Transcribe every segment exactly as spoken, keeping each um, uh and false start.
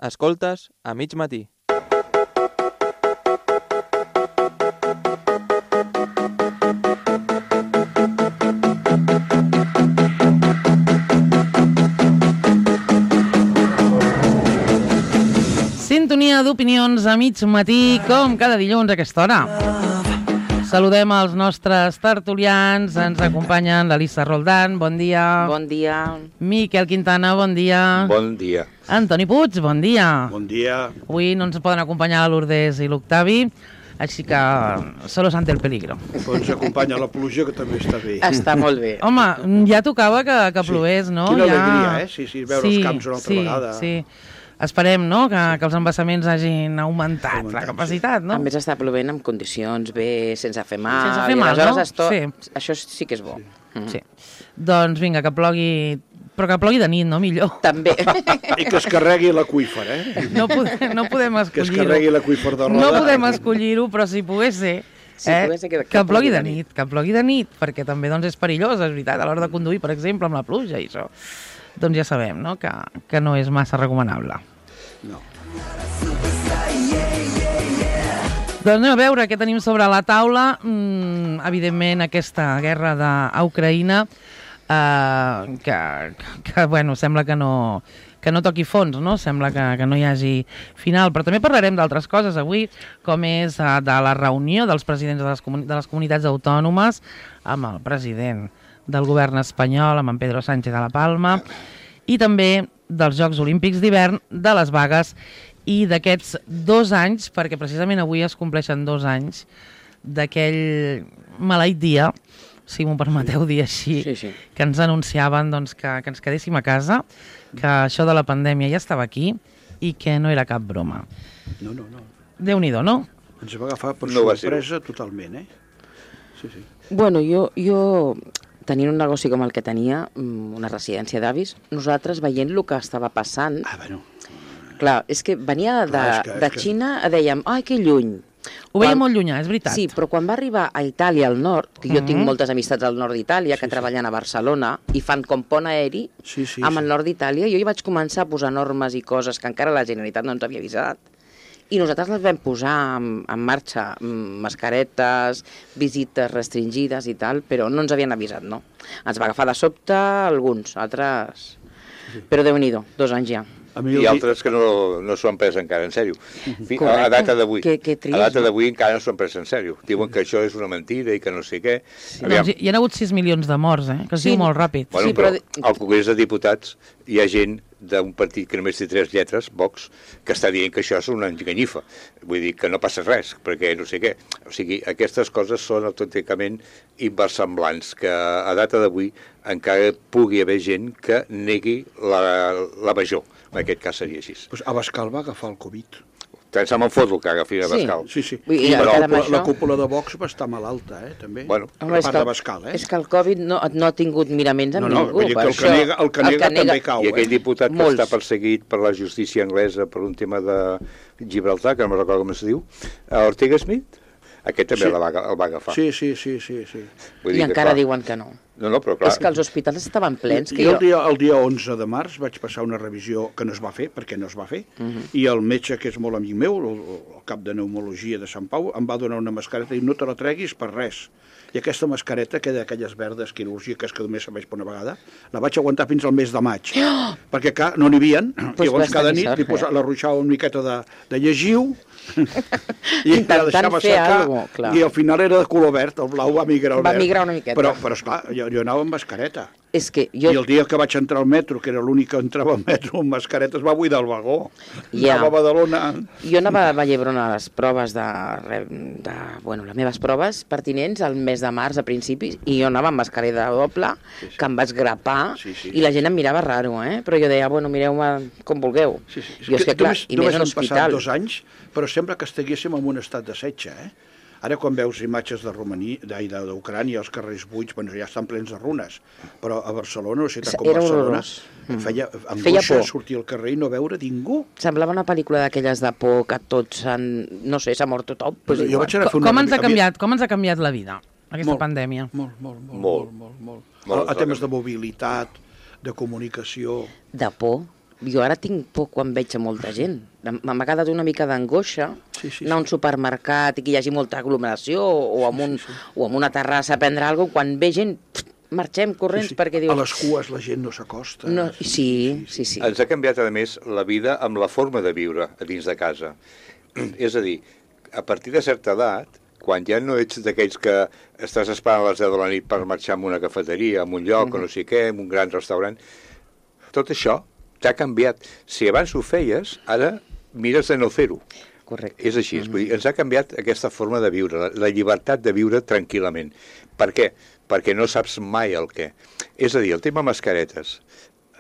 Escoltes a mig matí. Sintonia d'opinions a mig matí, com cada dilluns a aquesta hora. Saludem els nostres tertulians, ens acompanyen l'Elisa Roldán, bon dia. Bon dia. Miquel Quintana, bon dia. Bon dia. Antoni Puig, bon dia. Bon dia. Avui no ens poden acompanyar la Lourdes i l'Octavi, així que solo ante el peligro. Però ens acompanya la pluja, que també està bé. Està molt bé. Home, ja tocava que, que plogués, no? Quina ja... alegria, eh? Sí, sí, veure sí, els camps una altra sí, vegada. Sí, esperem, no?, que, que els embassaments hagin augmentat, augmentat la capacitat, no? A més, està plovent en condicions bé, sense fer mal. Sense fer mal, no? Esto... Sí. Això sí que és bo. Sí. Mm. sí. Doncs vinga, que plogui... Però que plogui de nit, no? Millor. També. I que es carregui l'aqüífer, eh? No, podem, no podem escollir-ho. Que es carregui l'aqüífer de Roda. No podem escollir-ho, però si pogués ser... Si eh, pogués ser que, que, que plogui de nit, que plogui de nit, perquè també doncs, és perillós, és veritat, a l'hora de conduir, per exemple, amb la pluja i això. Doncs ja sabem, no?, que, que no és massa recomanable. No. Doncs anem a veure què tenim sobre la taula. Mm, evidentment, aquesta guerra d'Ucraïna, eh, que, que, bueno, sembla que no, que no toqui fons, no? Sembla que, que no hi hagi final. Però també parlarem d'altres coses avui, com és eh, de la reunió dels presidents de les, comuni de les comunitats autònomes amb el president del govern espanyol, amb en Pedro Sánchez de la Palma, i també dels Jocs Olímpics d'hivern, de les vagues i d'aquests dos anys, perquè precisament avui es compleixen dos anys d'aquell maleït dia, si m'ho permeteu dir així, sí, sí. que ens anunciaven doncs, que, que ens quedéssim a casa, que això de la pandèmia ja estava aquí i que no era cap broma. No, no, no. Déu-n'hi-do, no? Ens va agafar per no sorpresa totalment, eh? Sí, sí. Bueno, jo... jo... tenint un negoci com el que tenia, una residència d'avis, nosaltres veient el que estava passant... Ah, bueno... Clar, és que venia de, Clar, és que, de és que... Xina, dèiem, ai, que lluny. Ho veia Quan... molt llunyà, és veritat. Sí, però quan va arribar a Itàlia, al nord, que jo Mm-hmm. tinc moltes amistats al nord d'Itàlia, que Sí, sí. treballen a Barcelona, i fan com pont aeri Sí, sí, amb sí. el nord d'Itàlia, jo hi vaig començar a posar normes i coses que encara la Generalitat no ens havia avisat. I nosaltres les vam posar en, en marxa, mascaretes, visites restringides i tal, però no ens havien avisat, no. Ens va agafar de sobte alguns, altres... Però Déu-n'hi-do, dos anys ja. A mi I el... altres que no, no s'ho han pres encara en sèrio. Fi, a, a data d'avui. Que- que trist, a data no? d'avui encara no s'ho han pres en sèrio. Diuen que això és una mentida i que no sé què. Doncs hi, hi ha hagut sis milions de morts, eh? Que es Sí. diu molt ràpid. Bueno, Sí, però, però- al Congrés de Diputats hi ha gent d'un partit que només té tres lletres, Vox, que està dient que això és una enganyifa. Vull dir que no passa res, perquè no sé què. O sigui, aquestes coses són autènticament inversemblants, que a data d'avui encara pugui haver gent que negui la, la major. En aquest cas seria així. Pues Abascal va agafar el Covid. Tant se me'n foto que agafi a Sí. Bascal. Sí, sí. Vull dir, I la, encara amb cúpula, això- la cúpula de Vox va estar malalta, eh, també. Bueno, per Home, és part que, d'Abascal, eh? és que el Covid no, no ha tingut miraments amb No, no, ningú. vull dir que per el que això. nega- el que nega també cau. I aquell diputat que Molts. està perseguit per la justícia anglesa per un tema de Gibraltar, que no me'n recordo com es diu, Ortega Smith, aquest també Sí. la va, el va agafar. Sí, sí, sí, sí, sí. Vull I dir que, encara clar, diuen que no. No, no, però clar... És que els hospitals estaven plens. Que jo jo... el dia, el dia onze de març vaig passar una revisió que no es va fer, perquè no es va fer, uh -huh. i el metge, que és molt amic meu, el, el cap de pneumologia de Sant Pau, em va donar una mascareta i no te la treguis per res. I aquesta mascareta, que d'aquelles verdes quirúrgiques que només serveix per una vegada, la vaig aguantar fins al mes de maig. Oh! Perquè, clar, no n'hi havia. Pues Llavors, vas cada tenir nit sort, li posava, eh? la ruixava una miqueta de, de llegiu, i Intentant la deixava fer secar, algo, clar. i al final era de color verd, el blau va migrar al Va verd. migrar una miqueta. Però, però esclar, jo, jo anava amb mascareta. És que Jo... jo... I el dia que vaig entrar al metro, que era l'únic que entrava al metro amb mascareta, es va buidar el vagó. Ja. Anava a Badalona... Jo anava a Vallhebron a les proves de, de... Bueno, les meves proves pertinents al mes de març a principis, i jo anava amb mascareta doble, Sí, sí. que em vaig grapar, Sí, sí. i la gent em mirava raro, eh? Però jo deia, bueno, mireu-me com vulgueu. Sí, sí. Jo, és que, clar, només, i només més en han passat hospital. dos anys, però sembla que estiguéssim en un estat de setge, eh? Ara, quan veus imatges de Romania, d'Ucrània, els carrers buits, bueno, ja estan plens de runes, però a Barcelona, una ciutat com Era Barcelona, horrorós. Mm. feia Feia angoixa por. sortir al carrer i no veure ningú. Semblava una pel·lícula d'aquelles de por que tots han... No sé, s'ha mort tothom. Pues Jo igual. vaig anar a fer Com, una... com ens ha a mi- canviat, com ens ha canviat la vida, aquesta Molt. pandèmia? Molt, molt, molt, Molt. molt, molt. molt. Molt, A, a temes molt. de mobilitat, de comunicació... De por. jo ara tinc por quan veig a molta gent. M'ha quedat una mica d'angoixa Sí, sí, anar a un supermercat i que hi hagi molta aglomeració o amb, un, sí, sí. o amb una terrassa a prendre alguna cosa, quan ve gent, pff, marxem corrents Sí, sí. perquè dius... A les cues la gent no s'acosta. No, sí, sí, sí. Ens ha canviat, a més, la vida amb la forma de viure a dins de casa. És a dir, a partir de certa edat, quan ja no ets d'aquells que estàs esperant a les deu de la nit per marxar a una cafeteria, a un lloc, mm-hmm. o no sé què, a un gran restaurant, tot això t'ha canviat. Si abans ho feies, ara mires de no fer-ho. Correcte. És així, mm-hmm. vull dir, ens ha canviat aquesta forma de viure, la, la llibertat de viure tranquil·lament. Per què? Perquè no saps mai el què. És a dir, el tema mascaretes,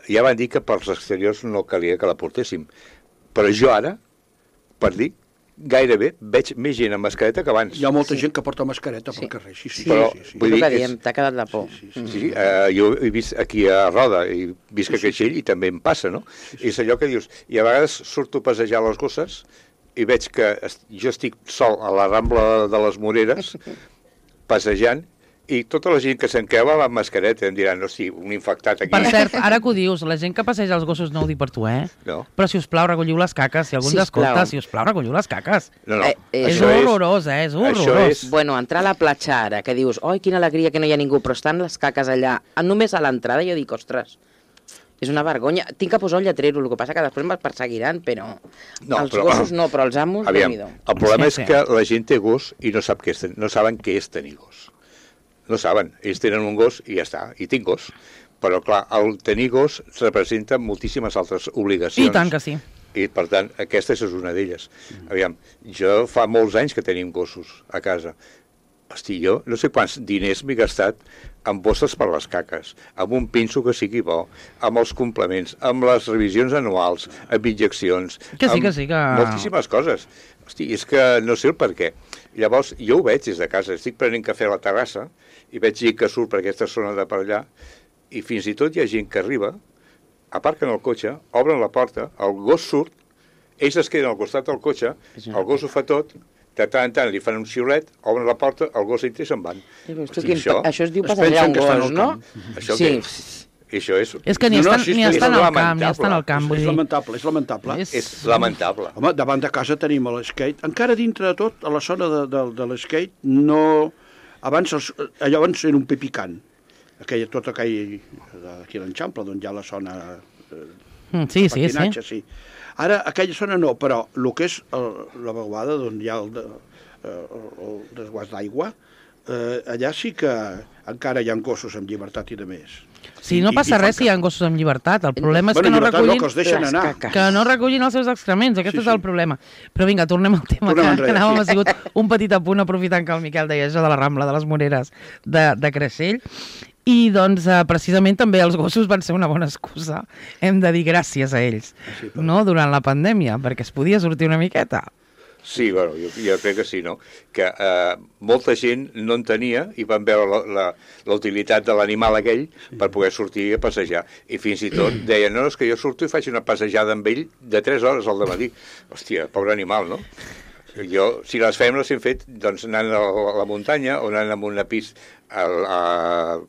ja van dir que pels exteriors no calia que la portéssim, però jo ara, per dir, gairebé veig més gent amb mascareta que abans. Hi ha molta Sí. gent que porta mascareta Sí. pel carrer, sí, sí. Sí, Però, sí, sí. vull és el dir, que diem, és- t'ha quedat la por. Sí, sí, Mm. Sí, eh, jo he vist aquí a Roda, i visc a Creixell i també em passa, no? És allò que dius, i a vegades surto a passejar les gosses i veig que est jo estic sol a la Rambla de les Moreres, passejant, i tota la gent que se'n creu amb mascareta em diran, hosti, un infectat aquí. Per cert, ara que ho dius, la gent que passeja els gossos no ho dic per tu, eh? No, Però, si us plau, recolliu les caques. Si algú ens Sisplau. escolta, si us plau, recolliu les caques. no, no. Eh, eh, És això horrorós, eh? És això horrorós. és- Bueno, entrar a la platja ara, que dius, oi, quina alegria que no hi ha ningú, però estan les caques allà, només a l'entrada, jo dic, ostres, és una vergonya. Tinc que posar un lletrero, el que passa que després me'ls perseguiran, però No, els però- gossos no, però els amos, Aviam, déu-n'hi-do. el problema Sí, és sí. que la gent té gos i no sap què és, ten- no saben què és tenir gos. No saben, ells tenen un gos i ja està, i tinc gos. Però, clar, el tenir gos representa moltíssimes altres obligacions. I tant que sí. I, per tant, aquesta és una d'elles. Aviam, jo fa molts anys que tenim gossos a casa. Hosti, jo no sé quants diners m'he gastat amb bosses per les caques, amb un pinso que sigui bo, amb els complements, amb les revisions anuals, amb injeccions... Que sí, amb que sí, que- moltíssimes coses. Hosti, és que no sé el per què. Llavors, jo ho veig des de casa, estic prenent cafè a la terrassa i veig gent que surt per aquesta zona de per allà i fins i tot hi ha gent que arriba, aparquen el cotxe, obren la porta, el gos surt, ells es queden al costat del cotxe, el gos ho fa tot, de tant en tant li fan un xiulet, obren la porta, el gos entra i se'n van. Ja veus tu Hosti, quin- això, això es diu es passejar pensen un que estan gos, al no? camp. això Sí. què? Això és... És que ni No, no, estan, sí, ni és estan lamentable. al camp, ni estan al camp, vull És dir. lamentable, és lamentable. És- És lamentable. Home, davant de casa tenim l'skate. Encara dintre de tot, a la zona de, de, de l'skate, no... Abans, els, allò abans era un pipicant. Aquella, tot aquell d'aquí a l'Enxample, d'on hi ha la zona eh, Mm, Sí, sí, sí. patinatge, sí. Ara, aquella zona no, però el que és el, la vaguada, d'on hi ha el, de, eh, el desguàs d'aigua, eh, allà sí que encara hi ha gossos amb llibertat i de més. Sí, no I- passa i fan res si hi ha caca. gossos amb llibertat. El problema és Bueno, que no llibertat recullin... no, que els deixen les anar. caques. que no recullin els seus excrements, aquest Sí, és el sí. problema. Però vinga, tornem al tema, Tornem que, enrere, que anàvem, sí. ha sigut un petit apunt aprofitant que el Miquel deia això de la Rambla de les Moreres de, de Creixell. I doncs eh, precisament també els gossos van ser una bona excusa, hem de dir gràcies a ells, Sí, però- no? Durant la pandèmia, perquè es podia sortir una miqueta. Sí, bueno, jo, jo crec que sí, no? Que eh, molta gent no en tenia i van veure la, la, la utilitat de l'animal aquell per poder sortir a passejar. I fins i tot deien, no, és que jo surto i faig una passejada amb ell de tres hores al dematí. Hòstia, pobre animal, no? Jo, si les fem, les hem fet doncs, anant a la, a la muntanya o anant amb una pista, a, a,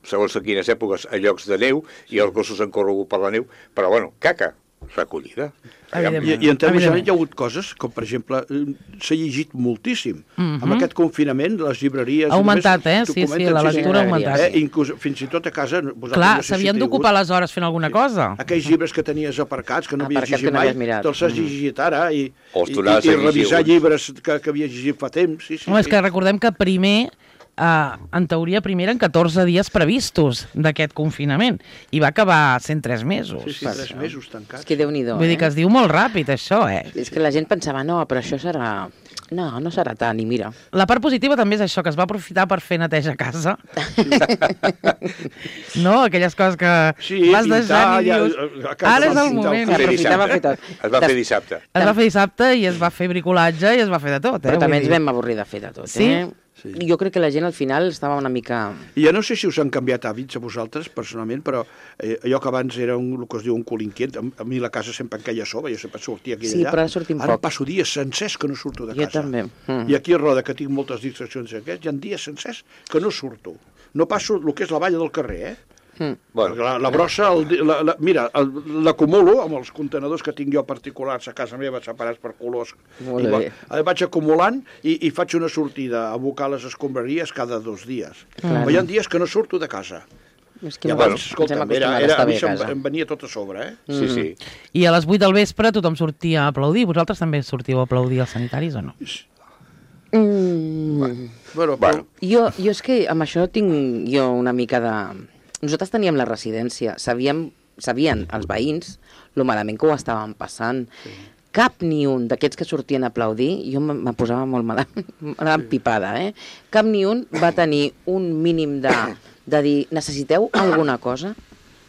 segons a quines èpoques, a llocs de neu, i els gossos han corregut per la neu, però, bueno, caca, recollida. Aviam, Evidentment. I, I en termes Evidentment. generals hi ha hagut coses, com per exemple, eh, s'ha llegit moltíssim. Mhm. Amb aquest confinament, les llibreries... Ha augmentat, només eh? Sí, sí, documenten, la lectura ha sí, augmentat. Eh? Inclús, fins i tot a casa... vosaltres Clar, no sé si s'havien teniu d'ocupar hagut- les hores fent alguna cosa. Aquells llibres que tenies aparcats, que no havies Aparcats llegit que no mai, havies mirat. te'ls has llegit ara i, O els i, tornaves i, a i llegir revisar alguns. llibres que, que havies llegit fa temps. Sí, sí, Home, és sí. que recordem que primer, eh, en teoria, primer eren catorze dies previstos d'aquest confinament i va acabar sent tres mesos. Sí, sí, tres mesos tancats. És que Déu-n'hi-do, Vull dir que eh? es diu molt ràpid, això, eh? És que la gent pensava, no, però això serà... No, no serà tant, i mira. La part positiva també és això, que es va aprofitar per fer neteja a casa. No? Aquelles coses que Sí, vas pintar, deixant i ja, dius... a casa Ara és vam el pintar el moment. carrer. Aprofitava dissabte. fer tot. Es va fer dissabte. Es va fer dissabte i es va fer bricolatge i es va fer de tot, eh? Però també Vull ens dir. vam avorrir de fer de tot, Sí? eh? Sí. Jo crec que la gent al final estava una mica... I ja no sé si us han canviat hàbits a vosaltres, personalment, però eh, allò que abans era un, el que es diu un cul inquiet, a, a mi la casa sempre em queia a sobre, jo sempre sortia aquí i Sí, allà. però ara sortim Ara poc. passo dies sencers que no surto de Jo casa. també. Mm. I aquí a Roda, que tinc moltes distraccions aquests, hi ha dies sencers que no surto. No passo el que és la valla del carrer, eh? Mm. Bueno, La, la brossa, el, di- la, la, mira, el- l'acumulo amb els contenedors que tinc jo particulars a casa meva, separats per colors. Molt I va- bé. eh, vaig acumulant i, i faig una sortida a abocar les escombraries cada dos dies. Claro. Però hi ha dies que no surto de casa. És que I ens- abans, ens hem escolta, era, acostumat a era, estar a mi bé a això em, casa. em venia tot a sobre, eh? sí, sí. I a les vuit del vespre tothom sortia a aplaudir. Vosaltres també sortiu a aplaudir als sanitaris o no? Mm. Bueno, Bueno. Jo, jo és que amb això tinc jo una mica de... Nosaltres teníem la residència, sabíem, sabien els veïns lo malament que ho estaven passant. Sí. Cap ni un d'aquests que sortien a aplaudir, jo me me posava molt mal, mal empipada, eh? Cap ni un va tenir un mínim de, de dir, necessiteu alguna cosa?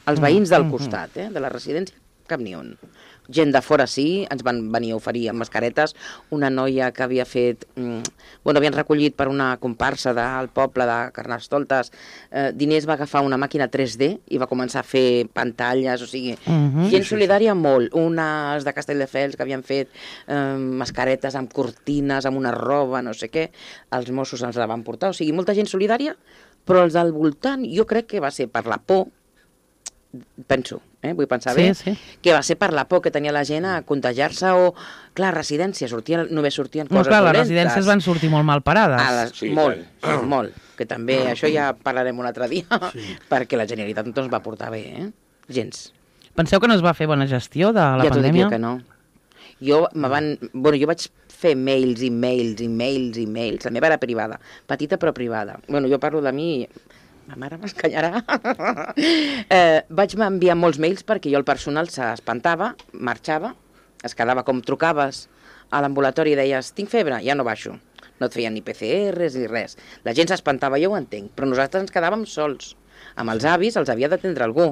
Els veïns del costat, eh, de la residència, cap ni un. Gent de fora sí, ens van venir a oferir amb mascaretes. Una noia que havia fet... Mm, bueno, havien recollit per una comparsa del poble de Carnestoltes eh, diners, va agafar una màquina tres D i va començar a fer pantalles, o sigui, Mhm. gent solidària molt. Unes de Castelldefels que havien fet eh, mascaretes amb cortines, amb una roba, no sé què. Els Mossos ens la van portar, o sigui, molta gent solidària, però els del voltant jo crec que va ser per la por, penso, eh? vull pensar Sí, bé, sí. que va ser per la por que tenia la gent a contagiar-se o, clar, residència, sortien, només sortien No, coses clar, les dolentes. residències van sortir molt mal parades. A les, Sí, molt, tant. molt, que també, això ja parlarem un altre dia, sí. perquè la Generalitat no ens va portar bé, eh? Gens. Penseu que no es va fer bona gestió de la ja t'ho dic pandèmia? jo que no. Jo me van... Bueno, jo vaig fer mails i mails i mails i mails. La meva era privada, petita però privada. Bueno, jo parlo de mi... Ma mare m'escanyarà. eh, vaig enviar molts mails perquè jo el personal s'espantava, marxava, es quedava com trucaves a l'ambulatori i deies, tinc febre, ja no baixo. No et feien ni P C Rs ni res. La gent s'espantava, jo ho entenc, però nosaltres ens quedàvem sols. Amb els avis els havia d'atendre algú.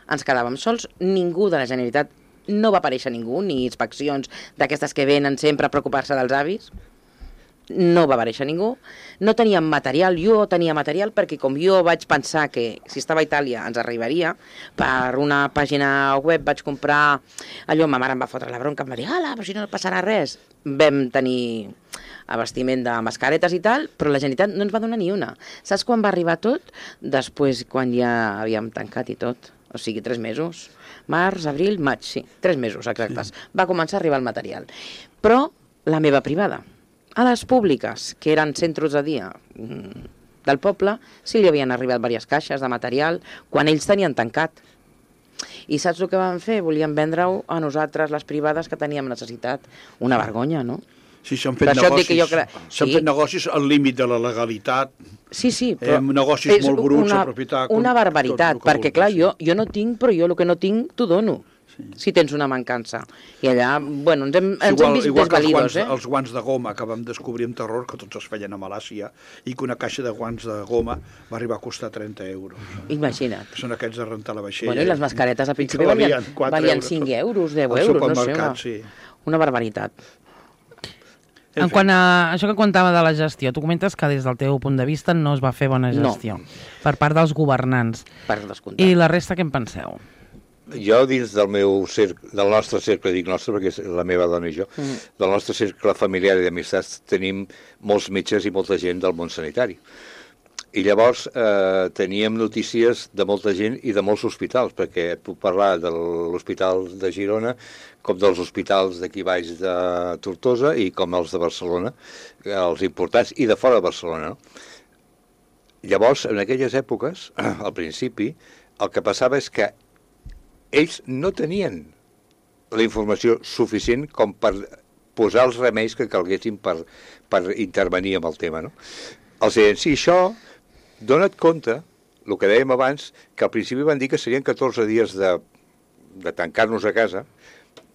Ens quedàvem sols, ningú de la Generalitat, no va aparèixer ningú, ni inspeccions d'aquestes que venen sempre a preocupar-se dels avis. No va aparèixer ningú, no teníem material, jo tenia material perquè com jo vaig pensar que si estava a Itàlia ens arribaria, per una pàgina web vaig comprar allò, ma mare em va fotre la bronca, em va dir, ala, però si no passarà res. Vam tenir abastiment de mascaretes i tal, però la Generalitat no ens va donar ni una. Saps quan va arribar tot? Després, quan ja havíem tancat i tot, o sigui, tres mesos. Març, abril, maig, sí, tres mesos exactes. Va començar a arribar el material. Però la meva privada, a les públiques, que eren centres de dia mm, del poble, sí li havien arribat diverses caixes de material quan ells tenien tancat. I saps el que van fer? Volien vendre-ho a nosaltres, les privades, que teníem necessitat. Una vergonya, no? Sí, s'han Per fet això et dic negocis, que jo cre- s'han sí. fet negocis al límit de la legalitat. Sí, sí, Eh, però... negocis és molt bruts, una, aprofitar... Una com- barbaritat, tot el que perquè vulguis, clar, sí. jo, jo no tinc, però jo el que no tinc t'ho dono. Sí. Si tens una mancança. I allà, bueno, ens hem, ens hem vist igual que els desvalidos, guants, eh? els guants de goma que vam descobrir amb terror que tots es feien a Malàcia i que una caixa de guants de goma va arribar a costar trenta euros. Imagina't. Són aquests de rentar la vaixella. Bueno, i les mascaretes al I principi que valien, quatre valien euros. cinc euros, deu Al euros, no sé. supermercat, Una, sí. una barbaritat. En quant a això que contava de la gestió, tu comentes que des del teu punt de vista no es va fer bona No. gestió per part dels governants. Per descomptat. I la resta què en penseu? Jo, dins del meu cercle, del nostre cercle, dic nostre perquè és la meva dona i jo, mm. del nostre cercle familiar i d'amistats tenim molts metges i molta gent del món sanitari. I llavors eh, teníem notícies de molta gent i de molts hospitals, perquè et puc parlar de l'Hospital de Girona com dels hospitals d'aquí baix de Tortosa i com els de Barcelona, els importants, i de fora de Barcelona. No? Llavors, en aquelles èpoques, al principi, el que passava és que ells no tenien la informació suficient com per posar els remeis que calguessin per, per intervenir amb el tema. No? Els deien, sí, això, dona't compte, el que dèiem abans, que al principi van dir que serien catorze dies de, de tancar-nos a casa,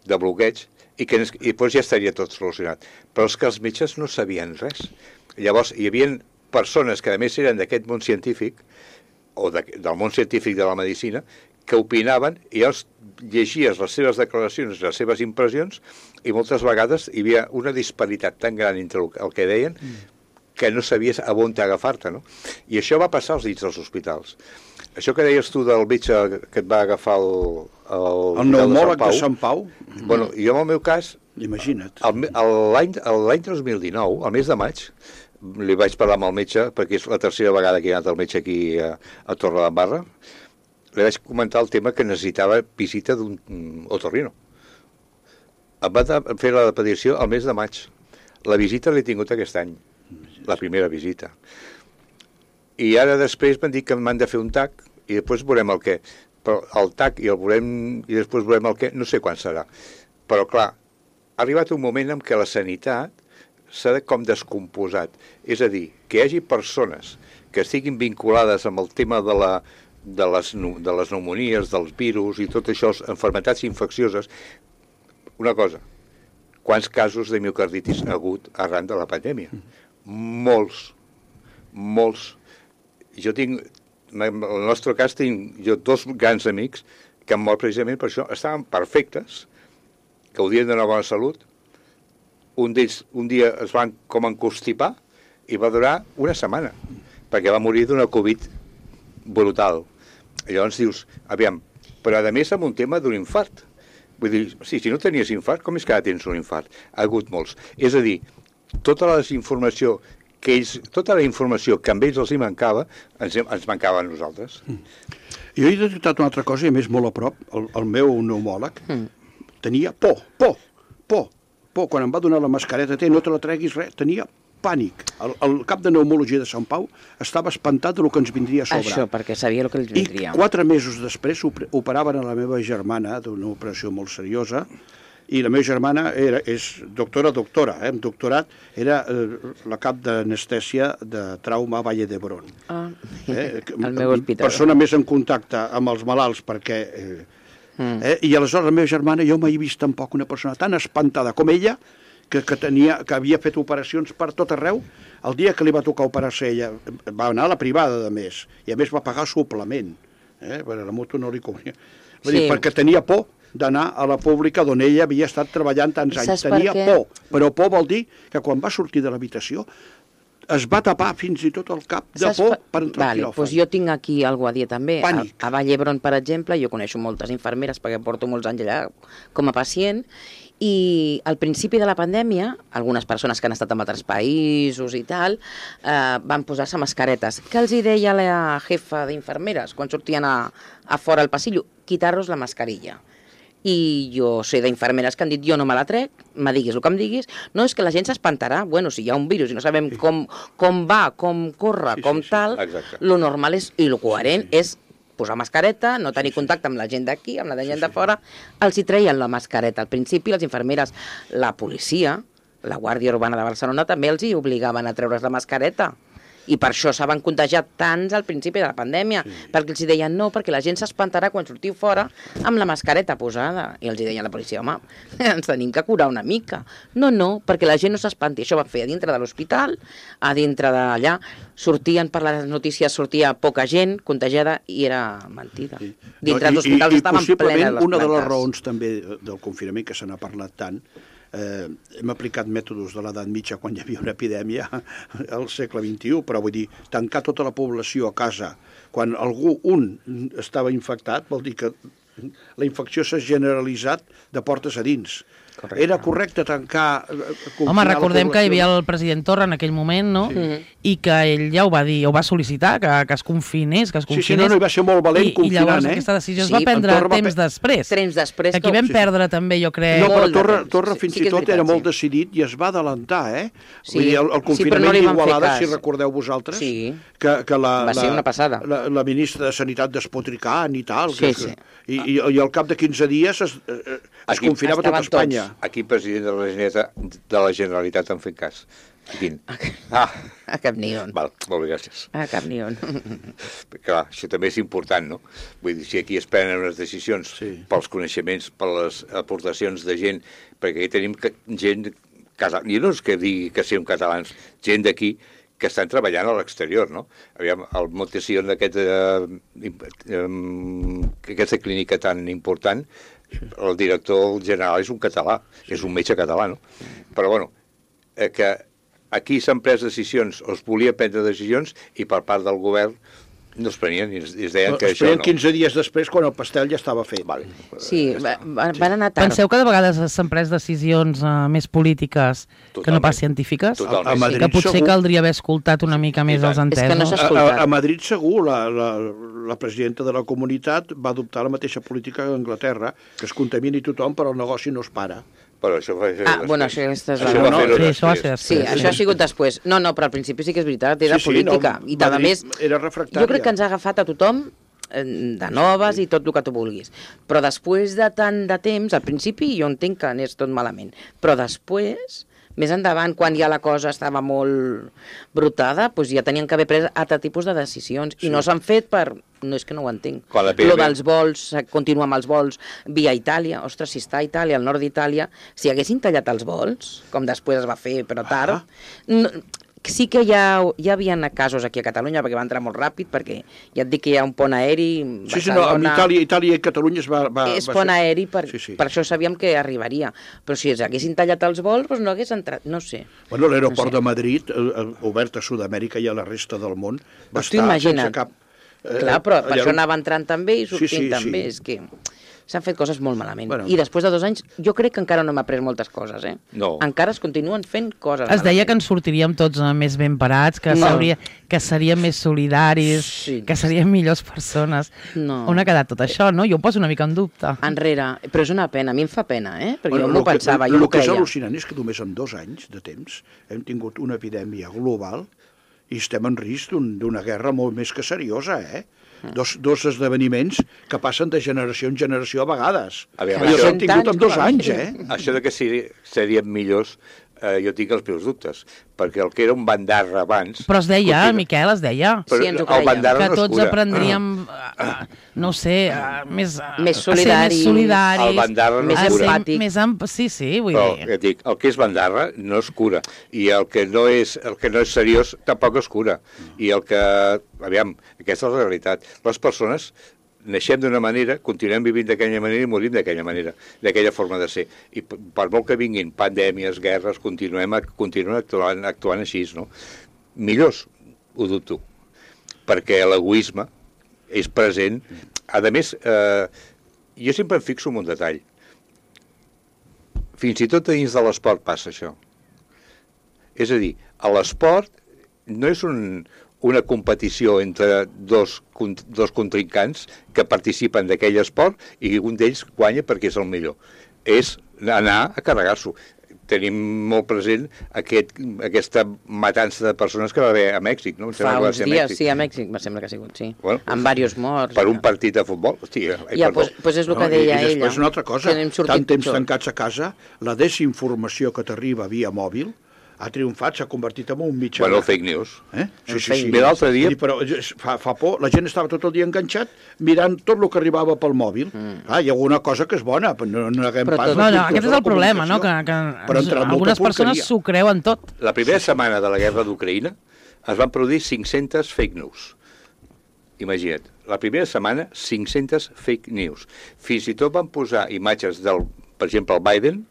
de bloqueig, i que i després ja estaria tot solucionat. Però és que els metges no sabien res. Llavors, hi havia persones que a més eren d'aquest món científic, o de, del món científic de la medicina, que opinaven, i llavors llegies les seves declaracions, les seves impressions, i moltes vegades hi havia una disparitat tan gran entre el, el que deien que no sabies a on agafar-te, no? I això va passar als dits dels hospitals. Això que deies tu del metge que et va agafar el... El, El pneumòleg de Sant Pau? Bueno, jo en el meu cas, Imagina't. el- el- l'any l'any dos mil dinou, al mes de maig, li vaig parlar amb el metge, perquè és la tercera vegada que he anat al metge aquí a, a Torredembarra, li vaig comentar el tema que necessitava visita d'un otorrino. Em va fer la petició al mes de maig. La visita l'he tingut aquest any, la primera visita. I ara després m'han dit que m'han de fer un tac i després veurem el què. Però el tac i el veurem i després veurem el què, no sé quan serà. Però clar, ha arribat un moment en què la sanitat s'ha com descomposat. És a dir, que hi hagi persones que estiguin vinculades amb el tema de la de les, de les pneumonies, dels virus i tot això, enfermetats infeccioses. Una cosa, quants casos de miocarditis ha hagut arran de la pandèmia? Molts, molts. Jo tinc, en el nostre cas, tinc jo dos grans amics que han mort precisament per això. Estaven perfectes, gaudien de una bona salut. Un d'ells un dia es van com encostipar i va durar una setmana, perquè va morir d'una Covid brutal. I llavors dius, aviam, però a més amb un tema d'un infart. Vull dir, sí, si no tenies infart, com és que ara tens un infart? Ha hagut molts. És a dir, tota la informació que ells, tota la informació que amb ells els hi mancava, ens, ens mancava a nosaltres. Mm. Jo he detectat una altra cosa, i a més molt a prop, el, el meu pneumòleg mm. tenia por, por, por, por. Quan em va donar la mascareta, té, no te la treguis res, tenia pànic. El, el cap de pneumologia de Sant Pau estava espantat del que ens vindria a sobre. Això, perquè sabia el que ens vindria. I quatre mesos després operaven a la meva germana d'una operació molt seriosa, i la meva germana era, és doctora, doctora, eh, amb doctorat, era eh, la cap d'anestèsia de trauma a Valle d'Hebron. Ah, eh, el meu hospital. Persona més en contacte amb els malalts, perquè... Eh, mm. eh, I aleshores la meva germana, jo mai he vist tampoc una persona tan espantada com ella, que, que, tenia, que havia fet operacions per tot arreu. El dia que li va tocar operar-se ella, va anar a la privada, de més, i a més va pagar suplement, eh? Perquè la moto no li convenia. Sí. Dir, perquè tenia por d'anar a la pública d'on ella havia estat treballant tants anys. Tenia por, però por vol dir que quan va sortir de l'habitació es va tapar fins i tot el cap de Saps por per entrar vale, al quiròfan. Doncs jo tinc aquí alguna a dir també. Pànic. A, a Vall d'Hebron, per exemple, jo coneixo moltes infermeres perquè porto molts anys allà com a pacient, i al principi de la pandèmia, algunes persones que han estat en altres països i tal, eh, van posar-se mascaretes. Què els hi deia la jefa d'infermeres quan sortien a, a fora al passillo? Quitar-los la mascarilla. I jo sé d'infermeres que han dit, jo no me la trec, me diguis el que em diguis, no, és que la gent s'espantarà, bueno, si hi ha un virus i no sabem sí. com, com va, com corre, sí, com sí, sí. tal, Exacte. Lo normal és, i lo coherent sí, sí. és posar mascareta, no tenir sí, sí. contacte amb la gent d'aquí, amb la gent sí, de fora, sí. els hi treien la mascareta. Al principi, les infermeres, la policia, la Guàrdia Urbana de Barcelona, també els hi obligaven a treure's la mascareta. I per això s'han contagiat tants al principi de la pandèmia, sí. perquè els deien no, perquè la gent s'espantarà quan sortiu fora amb la mascareta posada. I els deien a la policia, home, ens tenim que curar una mica. No, no, perquè la gent no s'espanti. Això va fer a dintre de l'hospital, a dintre d'allà. Sortien per les notícies, sortia poca gent contagiada i era mentida. Sí. Dintre no, dels hospitals estaven plenes les plantes. I possiblement una de les raons també del confinament, que se n'ha parlat tant, Eh, hem aplicat mètodes de l'edat mitja quan hi havia una epidèmia al segle vint-i-u, però vull dir, tancar tota la població a casa quan algú, un, estava infectat, vol dir que la infecció s'ha generalitzat de portes a dins. Correcte. Era correcte tancar... Home, recordem que hi havia el president Torra en aquell moment, no? Sí. I que ell ja ho va dir, ho va sol·licitar, que, que es confinés, que es confinés. Sí, sí, no, no, hi va ser molt valent I, confinant, i llavors eh? aquesta decisió es sí, va prendre temps va... després. Temps després. Aquí vam sí, perdre sí. també, jo crec... No, però Torra, Torra fins sí, i tot veritat, era molt sí. decidit i es va adelantar, eh? Sí. Vull dir, el, el confinament sí, no d'Igualada, si recordeu vosaltres, sí. que, que la, va ser una passada. La, la ministra de Sanitat despotricant i tal, sí, que, sí. I, i, i al cap de quinze dies es, es aquí, confinava tot Espanya. Tots. Aquí, president de la Generalitat, de la Generalitat en fent cas. Quin? Ah. A cap ni on. Val, molt bé, gràcies. A cap ni on. Clar, això també és important, no? Vull dir, si aquí es prenen unes decisions sí. pels coneixements, per les aportacions de gent, perquè aquí tenim gent, i no és que digui que siguem catalans, gent d'aquí que estan treballant a l'exterior, no? Aviam, el Montesillon d'aquest, eh, eh, aquesta clínica tan important, el director general és un català, és un metge català, no? Però, bueno, eh, que aquí s'han pres decisions, o es volia prendre decisions, i per part del govern No es prenien i es, es deien que Es això prenien no. quinze dies després quan el pastel ja estava fet. Vale. Sí, va, va, van anar tard. Penseu que de vegades s'han pres decisions uh, més polítiques que no Totalment. pas científiques? Totalment. A Madrid Que potser segur. caldria haver escoltat una mica més els És que no entesos. s'ha A, a, escoltat. a Madrid segur, la, la, la presidenta de la comunitat va adoptar la mateixa política que Anglaterra, que es contamini tothom però el negoci no es para. Però això va fer Ah, bueno, això aquesta és la... això va no, fer-ho sí, això va ser després. Sí, després. això ha sigut després. No, no, però al principi sí que és veritat, era Sí, sí, política. no, I a Madrid més, era refractària. jo crec que ens ha agafat a tothom eh, de noves i tot el que tu vulguis. Però després de tant de temps, al principi jo entenc que anés tot malament, però després, més endavant, quan ja la cosa estava molt brutada, doncs ja tenien que haver pres altre tipus de decisions. I no s'han fet per... No és que no ho entenc. Quan la P M Lo dels vols, continua amb els vols via Itàlia. Ostres, si està a Itàlia, al nord d'Itàlia, si haguessin tallat els vols, com després es va fer, però tard, no, sí que ja, ja hi havia casos aquí a Catalunya, perquè va entrar molt ràpid, perquè ja et dic que hi ha un pont aeri... Sí, sí, no, amb Itàlia, Itàlia i Catalunya es va... va és va pont ser- aeri, per, Sí, sí. per això sabíem que arribaria. Però si els haguessin tallat els vols, doncs no hagués entrat, no sé. Bueno, l'aeroport No sé. de Madrid, eh, eh, obert a Sud-amèrica i a la resta del món, va Doncs tu estar imagina't. sense cap... eh, Clar, però per allà això on- anava entrant també i sortint sí, sí. també. És que s'han fet coses molt malament. Bueno. I després de dos anys, jo crec que encara no hem après moltes coses, eh? No. Encara es continuen fent coses Es deia que malament. ens sortiríem tots eh, més ben parats, que, No. no. que seríem més solidaris, Sí. que seríem millors persones. No. On ha quedat tot això, no? Jo ho poso una mica en dubte. Enrere, però és una pena, a mi em fa pena, eh? Perquè Bueno, jo m'ho lo que- pensava, lo jo m'ho que és creia. al·lucinant és que només en dos anys de temps hem tingut una epidèmia global i estem en risc d'un- d'una guerra molt més que seriosa, eh? Dos, dos esdeveniments que passen de generació en generació a vegades. Aviam, I els això- hem tingut en dos com a anys, mínim. eh? Això de que seri, serien millors, eh, jo tinc els meus dubtes, perquè el que era un bandarra abans... Però es deia, continua- Miquel, es deia Però Sí, ens ho el creiem. bandarra que no es tots cura. aprendríem, uh, no sé, uh, més, uh, Més a ser solidaris. més solidaris, El bandarra no Més a ser empàtic. Més emp... Sí, sí, vull Però, dir... ja et dic, el que és bandarra no es cura, i el que no és, el que no és seriós tampoc es cura. I el que... Aviam, aquesta és la realitat. Les persones naixem d'una manera, continuem vivint d'aquella manera i morim d'aquella manera, d'aquella forma de ser. I p- per molt que vinguin pandèmies, guerres, continuem, a- continuem actuant, actuant així, no? Millors, ho dubto, perquè l'egoisme és present. A més, eh, jo sempre em fixo en un detall. Fins i tot dins de l'esport passa això. És a dir, a l'esport no és un, una competició entre dos, con- dos contrincants que participen d'aquell esport i un d'ells guanya perquè és el millor. És anar a carregar-s'ho. Tenim molt present aquest, aquesta matança de persones que va haver a Mèxic, no? Em sembla Fa que va uns ser a dies, Mèxic. sí, a Mèxic, me sembla que ha sigut, sí. Bueno, Amb diversos morts. Per i un tal. partit de futbol? Hòstia, ai, Ja, perdó. doncs pues és el que No, i- deia I ella. després una altra cosa, que n'hem sortit tant temps pitjor. tancats a casa, la desinformació que t'arriba via mòbil ha triomfat, s'ha convertit en un mitjà... Bueno, de- fake news. Eh? Sí, El sí, fake sí. news. Bé, l'altre dia- Vull dir, però és- fa, fa por, la gent estava tot el dia enganxat mirant tot el que arribava pel mòbil. Mm. Ah, hi ha alguna cosa que és bona, però no, no haguem Però pas... tot- No, la no, cultura aquest de és la el problema, no? Que, comunicació. que Però entre molta algunes persones porqueria. s'ho creuen tot. La primera setmana de la guerra d'Ucraïna es van produir cinc-centes fake news. Imagina't, la primera setmana, cinc-centes fake news. Fins i tot van posar imatges del, per exemple, el Biden.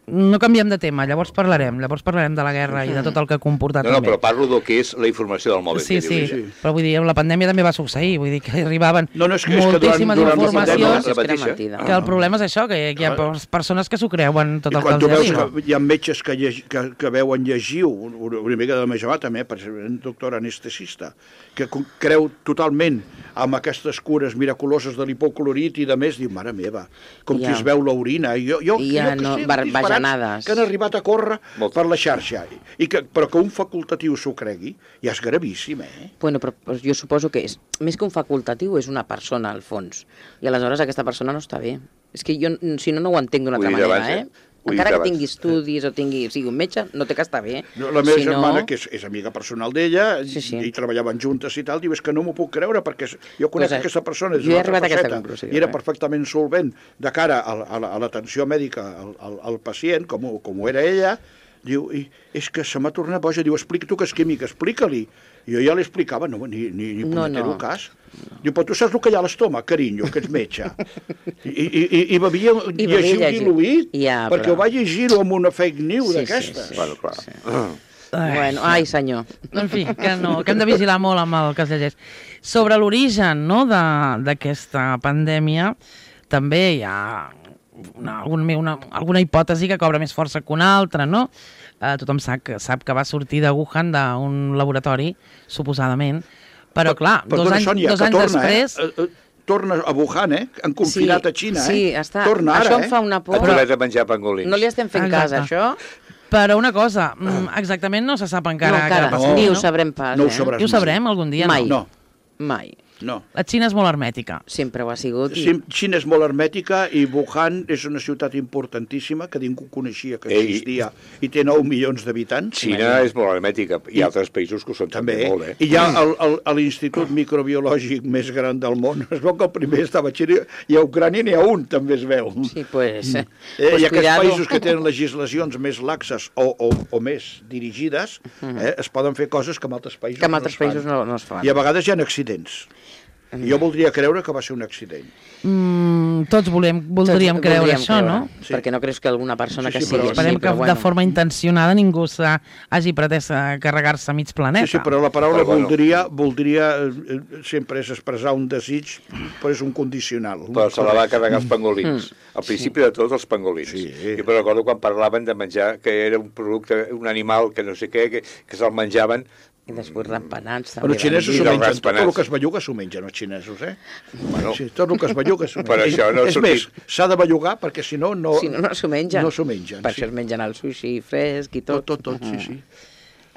No canviem de tema, llavors parlarem. Llavors parlarem de la guerra i de tot el que ha comportat No, no, també. però parlo del que és la informació del mòbil. Sí, que sí, diu ella. sí. però vull dir, amb la pandèmia també va succeir, vull dir que arribaven No, no, és que- és que durant- moltíssimes durant la informacions, pandèmia- és que era mateixa. mentida. que el problema és això, que hi ha persones que s'ho creuen tot I el que quan tu els veus arriba. que hi ha metges que, llegi, que, que veuen llegiu, una, una mica de la meva també, per ser un doctor anestesista, que co- creu totalment amb aquestes cures miraculoses de l'hipoclorit i de més, diu, mare meva, com Ja. qui es veu l'orina. I Jo, jo, I ja jo que no- sé, bar- disbarats bajanades. que han arribat a córrer Molt. per la xarxa. I que, però que un facultatiu s'ho cregui, ja és gravíssim, eh? Bueno, però, però jo suposo que és, més que un facultatiu, és una persona, al fons. I aleshores aquesta persona no està bé. És que jo, si no, no ho entenc d'una Ho he altra dit manera, abans, eh? eh? Ho he dit Encara que abans. tingui estudis o tingui, sigui un metge, no té que estar bé. No, la meva Si no- germana, que és, és amiga personal d'ella, Sí, sí. i treballaven juntes i tal, diu, és que no m'ho puc creure, perquè és- jo conec Pues, eh, aquesta persona des jo he d'una altra arribat a aquesta faceta, conclusió, i era eh? perfectament solvent de cara a, la- a, la- a l'atenció mèdica al, al, al pacient, com, ho- com ho era ella, diu, i és que se m'ha tornat boja, diu, explica tu que és químic, explica-li. I jo ja li explicava, no, ni, ni, ni No, punyetero no. cas. Diu, però tu saps el que hi ha a l'estómac, carinyo, que ets metge. I, i, i, i bevia I bevia llegiu llegiu. diluït, Ja, perquè però- ho va llegir-ho amb una fake news Sí, sí, d'aquestes. sí. Bueno, clar. Sí. Bueno, ai, senyor. En fi, que, no, que hem de vigilar molt amb el que es llegeix. Sobre l'origen, no, de- d'aquesta pandèmia, també hi ha una, una, una, alguna hipòtesi que cobra més força que una altra, no? Eh, tothom sap que, sap que va sortir de Wuhan, d'un laboratori, suposadament, però clar, dos Perdona, anys, Sònia, dos que anys torna, després... Eh? Eh, torna a Wuhan, eh? Han confinat Sí, a Xina, sí, eh? està. Torna ara, Això em eh? fa una por. Et tornat a menjar pangolins. No li estem fent cas, Exacte. això? Però una cosa, mm, exactament no se sap encara No, encara. què va passar. Ni ho no? sabrem pas, No ho eh? sabràs I ho sabrem algun dia, Mai. no? No, Mai. no. La Xina és molt hermètica. Sempre ho ha sigut. I... Xi- Xina és molt hermètica i Wuhan és una ciutat importantíssima que ningú coneixia que Ei. existia i té nou milions d'habitants. Xina és molt hermètica, i I- altres països que ho són també, També, molt, eh? i ja el- el- a l'Institut Microbiològic més gran del món es veu que el primer estava a Xina i a Ucrània n'hi ha un, també es veu. Sí, pues, Eh, pues I aquests cuidado. països que tenen legislacions més laxes o, o, o més dirigides, eh, es poden fer coses que en altres països Que en no altres es fan. països no, no es fan. I a vegades hi ha accidents. I jo voldria creure que va ser un accident. Mm, tots volem, voldríem Tots creure voldríem això, creure, no? Sí. Perquè no creus que alguna persona Sí, que sí, sigui però- així, Esperem que però bueno. de forma intencionada ningú s'ha- hagi pretès a carregar-se mig planeta. Sí, sí, però la paraula Però bueno. voldria, voldria eh, eh, sempre és expressar un desig, però és un condicional. Però se la va carregar els pangolins. Al principi de tot, els pangolins. Sí. Jo me'n recordo quan parlaven de menjar, que era un producte, un animal que no sé què, que, que se'l menjaven. I després rampanats, Però també. els xinesos I s'ho dels mengen, tot raspanats. el que es belluga s'ho mengen els xinesos, eh? Bueno. Sí, tot el que es belluga s'ho mengen. Per això no ha és sortit. més, s'ha de bellugar perquè si no, no, Si no, no s'ho mengen. no s'ho mengen. Per sí. això es mengen el sushi fresc i tot. Tot, tot, tot, sí, sí.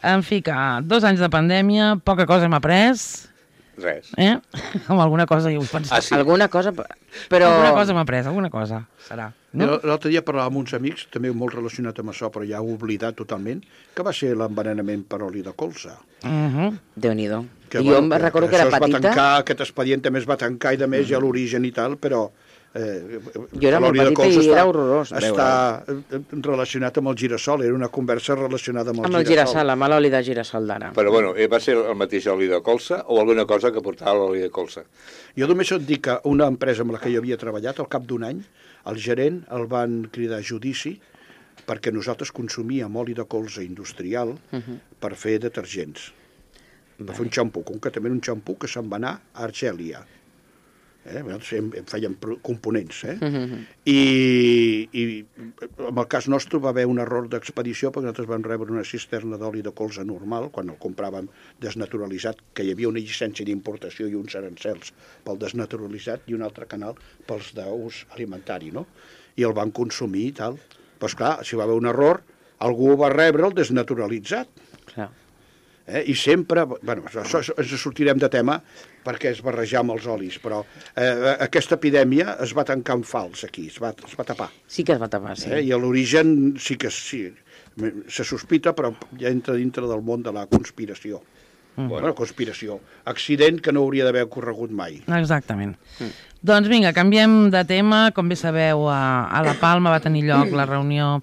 En fi, que dos anys de pandèmia, poca cosa hem après, Res. eh? Amb alguna cosa hi vull pensar. Ah, sí. Alguna cosa, però... Alguna cosa hem après, alguna cosa serà. No? No? L'altre dia parlava amb uns amics, també molt relacionat amb això, però ja ho he oblidat totalment, que va ser l'envenenament per oli de colza. Uh -huh. Déu-n'hi-do. Que, Jo em recordo que, això era es va petita. tancar, aquest expedient també es va tancar i de més ja l'origen i tal, però... Eh, Jo era molt l'oli de petita colza i està, era horrorós Està eh, relacionat amb el girassol, era una conversa relacionada amb el Amb el girassol. girassol, amb l'oli de girassol d'ara. Però bueno, eh, va ser el mateix oli de colza o alguna cosa que portava l'oli de colza? Jo només et dic que una empresa amb la que jo havia treballat, al cap d'un any, el gerent el van cridar a judici perquè nosaltres consumíem oli de colza industrial uh -huh. per fer detergents. Per fer un xampú, concretament un xampú que se'n va anar a Argèlia. Eh? Em, em feien components. Eh? Uh -huh. I, I en el cas nostre va haver un error d'expedició perquè nosaltres vam rebre una cisterna d'oli de colza normal, quan el compràvem desnaturalitzat, que hi havia una llicència d'importació i uns arancels pel desnaturalitzat i un altre canal pels d'ús alimentari, no? I el van consumir i tal. Però esclar, si va haver un error, algú va rebre el desnaturalitzat. Clar. Eh? I sempre, bueno, això, això, ens sortirem de tema perquè es barrejar amb els olis, però eh, aquesta epidèmia es va tancar en fals aquí, es va, es va tapar. Sí que es va tapar, sí. Eh? I a l'origen sí que sí, se sospita, però ja entra dintre del món de la conspiració. Mm. Bueno, conspiració. Accident que no hauria d'haver ocorregut mai. Exactament. Mm. Doncs vinga, canviem de tema. Com bé sabeu, a, a La Palma va tenir lloc la reunió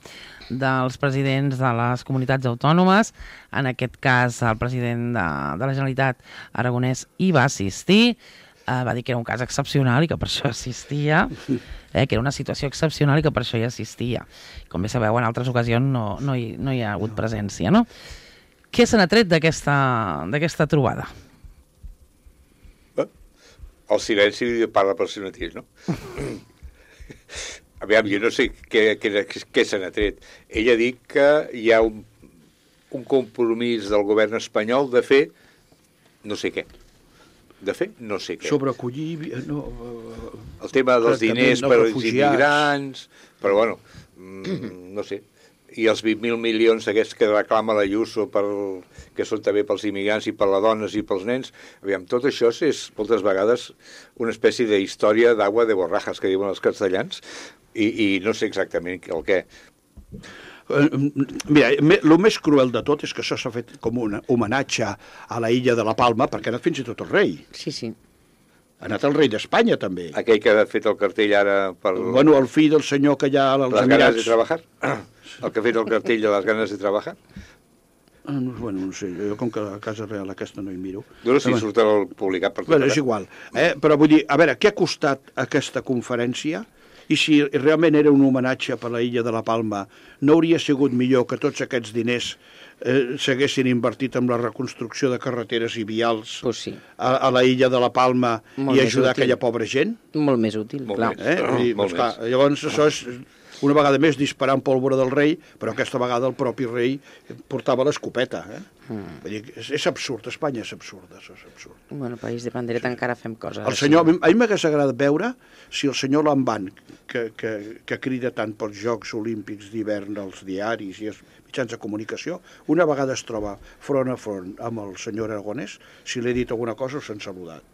dels presidents de les comunitats autònomes. En aquest cas, el president de, de la Generalitat, Aragonès, hi va assistir. Uh, va dir que era un cas excepcional i que per això assistia, eh, que era una situació excepcional i que per això hi assistia. Com bé sabeu, en altres ocasions no, no, hi, no hi ha hagut presència, no? Què se n'ha tret d'aquesta d'aquesta trobada? El silenci parla per si mateix, no? Aviam, jo no sé què, què, què se n'ha tret. Ell ha dit que hi ha un, un compromís del govern espanyol de fer no sé què. De fer no sé què. Sobre acollir... No, El tema dels diners per als refugiats. immigrants, però bueno, mm, no sé. I els vint mil milions aquests que reclama l'Ayuso, per, que són també pels immigrants i per les dones i pels nens, aviam, tot això és moltes vegades una espècie d'història d'agua de borrajas, que diuen els castellans, i, i no sé exactament el què. Mira, el més cruel de tot és que això s'ha fet com un homenatge a la illa de la Palma, perquè ha anat fins i tot el rei. Sí, sí. Ha anat el rei d'Espanya, també. Aquell que ha fet el cartell ara per Bueno, el fill del senyor que hi ha als les ganes de Emirats. treballar, el que ha fet el cartell de les ganes de treballar. Ah, no, bueno, no sé, jo com que a Casa Real aquesta no hi miro. Jo no sé si Però, surt el publicat per tot bueno, és arreu. igual. Eh? Però vull dir, a veure, què ha costat aquesta conferència I si realment era un homenatge per la illa de la Palma, no hauria sigut millor que tots aquests diners eh, s'haguessin invertit en la reconstrucció de carreteres i vials pues sí. a, a la illa de la Palma Molt i més ajudar útil. aquella pobra gent? Molt més útil, Molt clar. més. Eh? Oh, Vull dir, molt doncs, clar, més. llavors això és una vegada més disparant pólvora del rei, però aquesta vegada el propi rei portava l'escopeta. Eh? Mm. Vull dir, és, és absurd, Espanya és absurd, això és absurd. Bueno, país de pandereta sí. encara fem coses. El senyor, a mi a mi m'hagués agradat veure si el senyor Lamban, que, que, que crida tant pels Jocs Olímpics d'hivern als diaris i als mitjans de comunicació, una vegada es troba front a front amb el senyor Aragonès, si li he dit alguna cosa o s'han saludat.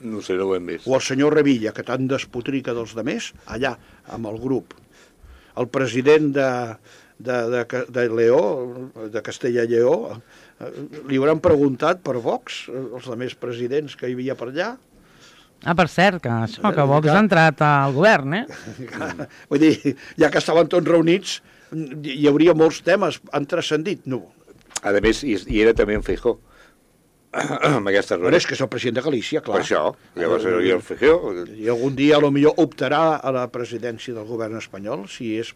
No sé, no ho hem vist. O el senyor Revilla, que tant despotrica dels demés, allà, amb el grup. El president de, de, de, de Leó, de Castella i Lleó, li hauran preguntat per Vox, els altres presidents que hi havia per allà. Ah, per cert, que això, que Vox ha entrat al govern, eh? Vull dir, ja que estaven tots reunits, hi hauria molts temes, han transcendit. No. A més, hi, hi era també en Feijó, amb aquesta Però roda. és que és el president de Galícia, clar. Per això, llavors hi el Feijó. I algun dia, a lo millor, optarà a la presidència del govern espanyol, si és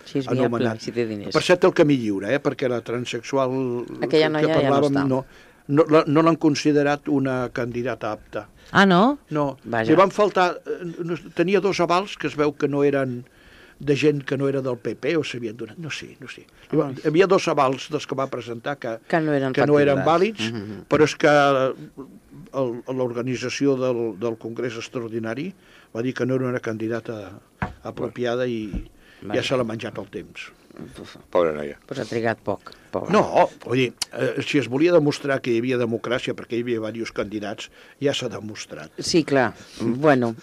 Si és viable, anomenat. si té diners. Per cert, el camí lliure, eh? Perquè la transsexual Aquella noia que ja no parlàvem està. no, no, la- no l'han considerat una candidata apta. Ah, no? No, Vaja. li van faltar... eh, no- Tenia dos avals que es veu que no eren de gent que no era del P P o s'havien donat, no sé, no sé. Hi va- Hi havia dos avals dels que va presentar que, Que no eren que no eren factibles. vàlids, Mhm. però és que el- l'organització del, del Congrés Extraordinari va dir que no era una candidata apropiada i ja Vaja. se l'ha menjat el temps. Pobra noia. Pues ha trigat poc. Pobre. No, vull dir, eh, si es volia demostrar que hi havia democràcia perquè hi havia diversos candidats, ja s'ha demostrat. Sí, clar. Bueno.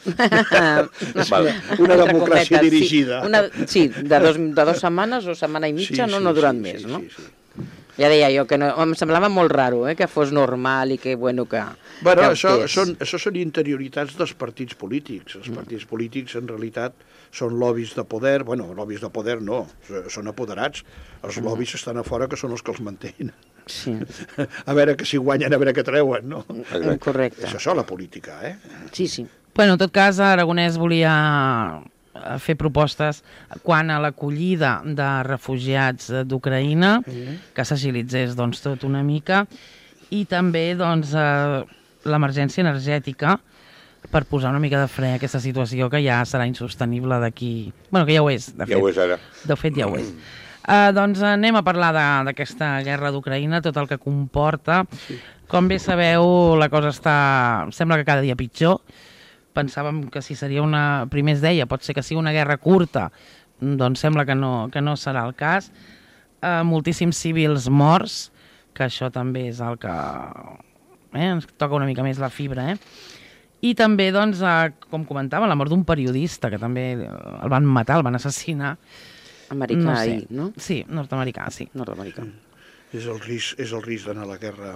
Val. Una Entre democràcia cometes, dirigida. Sí, una, sí de, dos, de dos setmanes o setmana i mitja, no, no durant més, sí, no? Sí, sí. Ja deia jo que no, em semblava molt raro, eh, que fos normal i que, bueno, que... Bueno, que això optés. són, això són interioritats dels partits polítics. Els partits polítics, en realitat, són lobbies de poder. Bueno, lobbies de poder no, són apoderats. Els lobbies estan a fora, que són els que els mantenen. Sí, A veure que si guanyen, a veure què treuen, no? correcte. És això, la política, eh? Sí, sí. Bueno, en tot cas, Aragonès volia eh, fer propostes quant a l'acollida de refugiats eh, d'Ucraïna, que s'agilitzés doncs, tot una mica, i també doncs, eh, l'emergència energètica per posar una mica de fre a aquesta situació que ja serà insostenible d'aquí... Bueno, que ja ho és, de fet. Ja ho és ara. De fet, ja ho és. Uh, doncs anem a parlar de- d'aquesta guerra d'Ucraïna, tot el que comporta. Sí. Com bé sabeu, la cosa està... sembla que cada dia pitjor. Pensàvem que si seria una... Primer es deia, pot ser que sigui una guerra curta, doncs sembla que no, que no serà el cas. Uh, moltíssims civils morts, que això també és el que... Eh, ens toca una mica més la fibra, eh? I també, doncs, uh, com comentava, la mort d'un periodista, que també el van matar, el van assassinar. Americà, No sé. ahir, no? Sí, nord-americà, sí. Nord-americà. És el risc, és el risc d'anar a la guerra.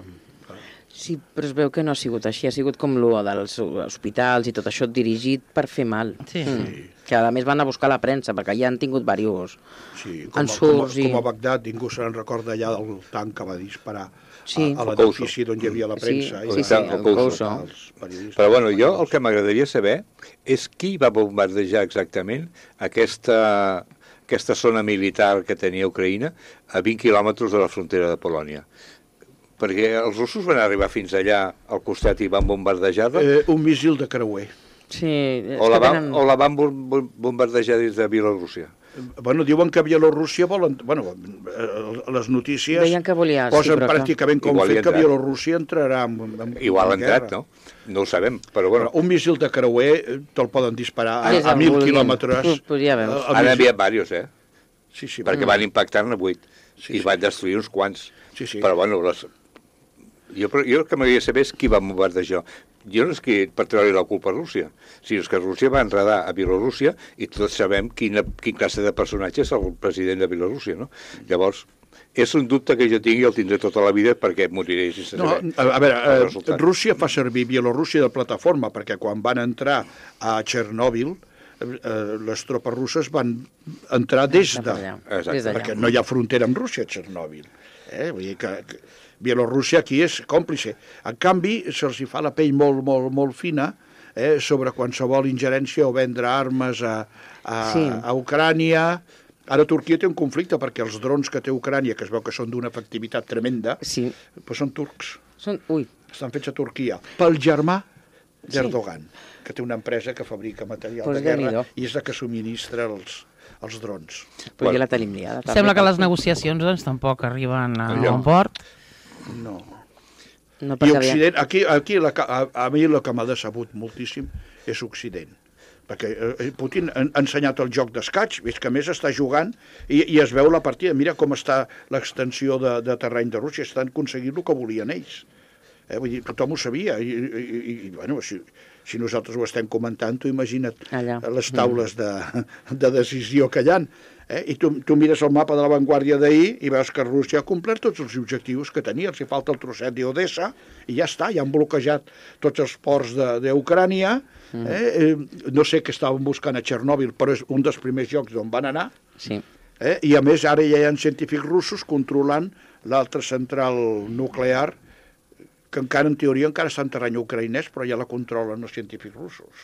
Sí, però es veu que no ha sigut així, ha sigut com l'U dels hospitals i tot això dirigit per fer mal. Sí. Mm. Que a més van a buscar la premsa, perquè ja han tingut diversos. Sí, com, a, com, a, Ensurts i- com a Bagdad, ningú se'n recorda allà del tanc que va disparar Sí. a, a l'edifici on hi havia la Sí, premsa. sí, i sí, va- el el Couso. Couso. els periodistes. Però bueno, jo el que m'agradaria saber és qui va bombardejar exactament aquesta, aquesta zona militar que tenia Ucraïna a vint quilòmetres de la frontera de Polònia. Perquè els russos van arribar fins allà al costat i van bombardejar-la, Eh, un missil de creuer. Sí, és o, la que van, tenen... o la van bom- bom- bombardejar des de Bielorússia. Bueno, diuen que Bielorússia volen... Bueno, eh, les notícies Deien que volia, sí, posen però que- pràcticament com Igual hi fet ha que entrat. Bielorússia entrarà en, en, Igual ha en entrat, guerra. no? No ho sabem, però bueno, Però un missil de creuer eh, te'l poden disparar a, Des a del mil vulguin. quilòmetres. Pues ja veus. Eh, el han missil- enviat diversos, eh? Sí, sí, Perquè van impactar-ne vuit Sí, i sí. van destruir uns quants. Sí, sí. Però bueno, les... jo, però jo el que m'agradaria saber és qui va bombardejar. Jo no és que per treure la culpa a Rússia, sinó que Rússia va enredar a Bielorússia i tots sabem quina, quin classe de personatge és el president de Bielorússia, no? Llavors, és un dubte que jo tinc i el tindré tota la vida perquè moriré sense No, saber a, a veure, el eh, resultat. Rússia fa servir Bielorússia de plataforma perquè quan van entrar a Txernòbil eh, les tropes russes van entrar des Cap de... allà, Exacte. des d'allà. perquè no hi ha frontera amb Rússia a Txernòbil. Eh? Vull dir que, que Bielorússia aquí és còmplice. En canvi, se'ls hi fa la pell molt, molt, molt fina eh, sobre qualsevol ingerència o vendre armes a, a, Sí. a Ucrània. Ara Turquia té un conflicte perquè els drons que té Ucrània, que es veu que són d'una efectivitat tremenda, Sí. però són turcs. Són... Ui, Estan fets a Turquia pel germà d'Erdogan, que té una empresa que fabrica material Pues de guerra Déu-n'hi-do. i és la que subministra els, els drons. però bueno. Ja la tenim liada. també. Sembla que les negociacions doncs, tampoc arriben a Allò. bon port. No. No, I perquè aviam. Occident, aquí, aquí la, que- a, a mi el que m'ha decebut moltíssim és Occident. Perquè eh, Putin ha ensenyat el joc d'escaig, és que a més està jugant i, i es veu la partida. Mira com està l'extensió de, de terreny de Rússia, estan aconseguint el que volien ells. Eh, vull dir, tothom ho sabia i, i, i, i bueno, si, si nosaltres ho estem comentant, tu imagina't Allà. les taules de, de decisió que hi ha. Eh? I tu, tu mires el mapa de l'avantguàrdia d'ahir i veus que Rússia ha complert tots els objectius que tenia. Els hi falta el trosset d'Odessa i ja està, ja han bloquejat tots els ports d'Ucrània. Eh? Eh, no sé què estaven buscant a Txernòbil, però és un dels primers llocs d'on van anar. Sí. Eh? I a més ara ja hi ha científics russos controlant l'altra central nuclear que encara en teoria encara està en terreny ucraïnès, però ja la controlen els científics russos.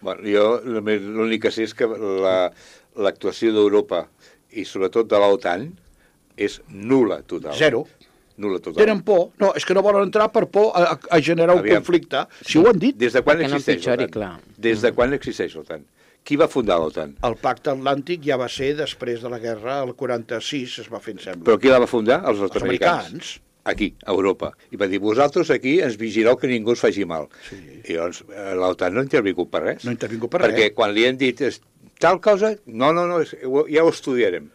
Bueno, jo només l'únic que sé és que la- l'actuació d'Europa i sobretot de l'OTAN és nul·la total. Zero. Nul·la total. Tenen por. No, és que no volen entrar per por a, a, a generar un Aviam. conflicte. Si ho han dit, Des de quan Perquè no existeix empitjori, l'OTAN? clar. Des de quan existeix l'OTAN? Qui va fundar l'OTAN? el pacte atlàntic ja va ser després de la guerra, el quaranta-sis es va fer, em sembla. Però qui la va fundar? Els Els nord-americans. americans. Aquí, a Europa. I va dir, vosaltres aquí ens vigileu que ningú us faci mal. Sí. I llavors eh, l'OTAN no ha intervingut per res. No ha intervingut per Perquè res. quan li han dit és, tal cosa, no, no, no, és, ja ho estudiarem.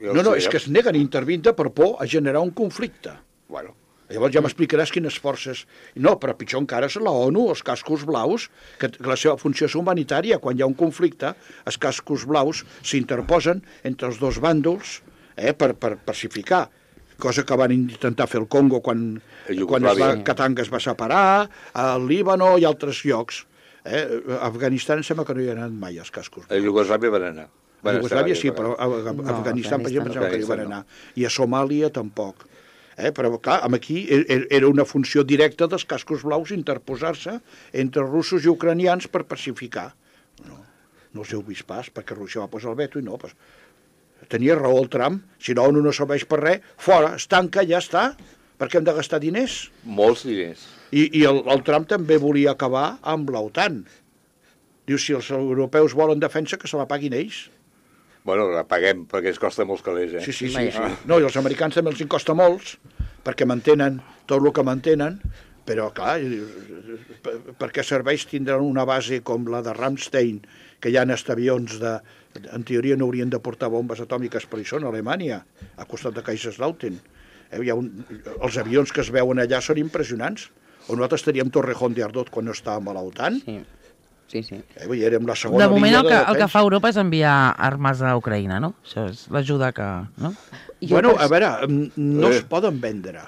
Ja ho No, no, és estudiarem. que es neguen a intervindre per por a generar un conflicte. Bueno, Llavors ja m'explicaràs quines forces... No, però pitjor encara és la ONU, els cascos blaus, que que la seva funció és humanitària. Quan hi ha un conflicte, els cascos blaus s'interposen entre els dos bàndols eh, per, per pacificar, cosa que van intentar fer el Congo quan, A quan es va, Iugoslàvia. Katanga es va separar, al Líbano i altres llocs. Eh? A Afganistan em sembla que no hi ha anat mai els cascos a blaus. Iugoslàvia van anar. A Van Iugoslàvia estar sí, a però a, a, a No, Afganistan, per exemple, em sembla que hi van Afganistan no. anar. I a Somàlia tampoc. Eh? Però, clar, amb aquí er- era una funció directa dels cascos blaus interposar-se entre russos i ucranians per pacificar. No, no us heu vist pas, perquè Rússia va posar el veto i no. Pues, tenia raó el Trump, si no, no serveix per res, fora, es tanca, ja està. Per què hem de gastar diners? Molts diners. I, i el, el Trump també volia acabar amb l'OTAN. Diu, si els europeus volen defensa, que se la paguin ells. Bueno, la paguem, perquè ens costa molts calés, eh? Sí, sí, sí, Vaja. sí. No, i els americans també els en costa molts, perquè mantenen tot el que mantenen, però, clar, per, per què serveix tindre una base com la de Ramstein, que hi ha avions de... En teoria no haurien de portar bombes atòmiques, però hi són a Alemanya, a costat de Kaiserslautern. Eh, hi ha un, els avions que es veuen allà són impressionants. O nosaltres teníem Torrejón de Ardot quan no estàvem a l'OTAN. Sí, sí, sí. Eh, vull dir, érem la segona De moment línia el que, de el que defensa. fa Europa és enviar armes a Ucraïna, no? Això és l'ajuda que... No? Jo Bueno, pens- a veure, mm, no Eh. es poden vendre.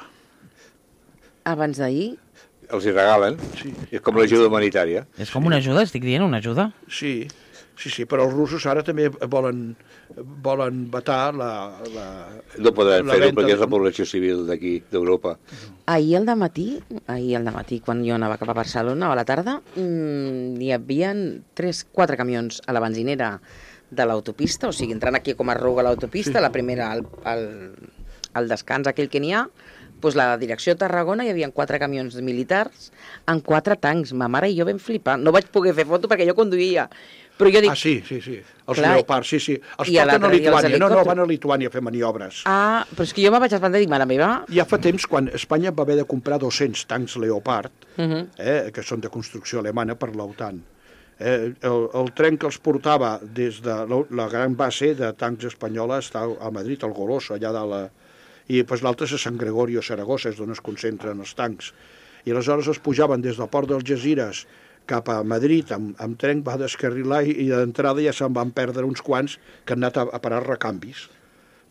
Abans d'ahir, Els hi regalen. Sí. És com l'ajuda humanitària. És com una ajuda, estic dient, una ajuda. Sí, sí, sí, però els russos ara també volen, volen vetar la... la No podran la fer-ho venda perquè és de- la població civil d'aquí, d'Europa. ahir al dematí, ahir al dematí, quan jo anava cap a Barcelona, a la tarda, mmm, hi havia tres, quatre camions a la benzinera de l'autopista, o sigui, entrant aquí com a arruga l'autopista, la primera al, al, al descans aquell que n'hi ha, doncs la direcció de Tarragona hi havia quatre camions militars amb quatre tancs. Ma mare i jo vam flipar. No vaig poder fer foto perquè jo conduïa. Però jo dic... Ah, sí, sí, sí. Els Clar, Leopard, sí, sí. Els i a porten a l'altre dia els Lituània. No, no, helicòpters. van a Lituània a fer maniobres. Ah, però és que jo me vaig espantar i dic, mare meva... Ja fa temps, quan Espanya va haver de comprar dos-cents tancs Leopard, Uh -huh. eh, que són de construcció alemana per l'OTAN, eh, el, el tren que els portava des de la, la gran base de tancs espanyola està a Madrid, al Goloso, allà de la... I pues, l'altre és a Sant Gregorio, a Saragossa, és d'on es concentren els tancs. I aleshores els pujaven des del port d'Algesires cap a Madrid amb, amb tren, va descarrilar i, i d'entrada ja se'n van perdre uns quants que han anat a, a parar recanvis.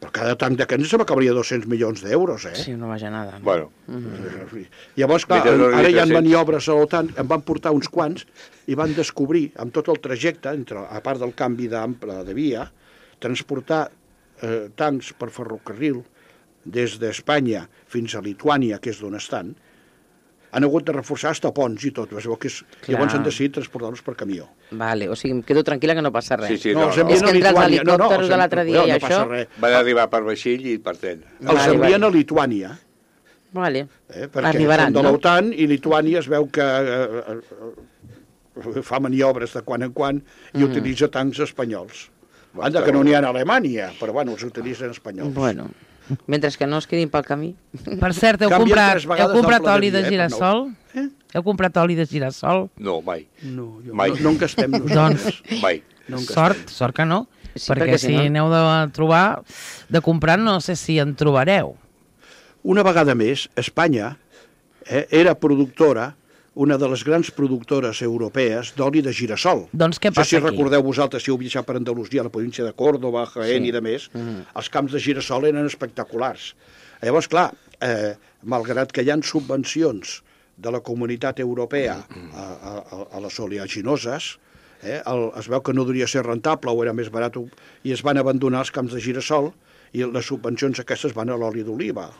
Però cada tanc d'aquests se m'acabaria dos-cents milions d'euros, eh? Sí, no vaja nada. No? Bueno, Llavors, clar, Mentre no ara hi ha tres-cents. maniobres a l'OTAN, en van portar uns quants i van descobrir, amb tot el trajecte, entre, a part del canvi d'ample de via, transportar eh, tancs per ferrocarril des d'Espanya fins a Lituània, que és d'on estan, Han hagut de reforçar hasta ponts i tot. Es veu que és... Llavors han decidit transportar-los per camió. Vale, o sigui, em quedo tranquil·la que no passa res. Sí, sí, No, no, els no. envien És a que entre els Lituània. No, no, helicòpters els de l'altre dia no, i no passa això... res. Van arribar per vaixell i per tren. Els Vale, envien vale. a Lituània, Vale, eh, perquè arribaran, són de no? l'OTAN i Lituània es veu que eh, eh, fa maniobres de quan en quan i utilitza tancs espanyols. Anda, que no n'hi ha a Alemanya, però bueno, els utilitzen espanyols. Bueno, mentre que no es quedin pel camí. Per cert, heu Canvien comprat, tres vegades heu comprat d'ample de oli de dia, eh, per girassol? Eh? Heu comprat oli de girassol? No, mai. No, jo, Mai. no, no en gastem Doncs, nosaltres. Mai. No en gastem. sort, sort que no. Sí, perquè, perquè si si no- aneu de trobar, de comprar, no sé si en trobareu. Una vegada més, Espanya eh, era productora, una de les grans productores europees d'oli de girassol. Doncs què No sé passa si aquí? recordeu vosaltres, si heu viatjat per Andalusia, la província de Córdoba, Jaén Sí. i de més, els camps de girassol eren espectaculars. Llavors, clar, eh, malgrat que hi ha subvencions de la comunitat europea a, a, a les oleaginoses, eh, el, es veu que no duria ser rentable o era més barat i es van abandonar els camps de girassol i les subvencions aquestes van a l'oli d'oliva.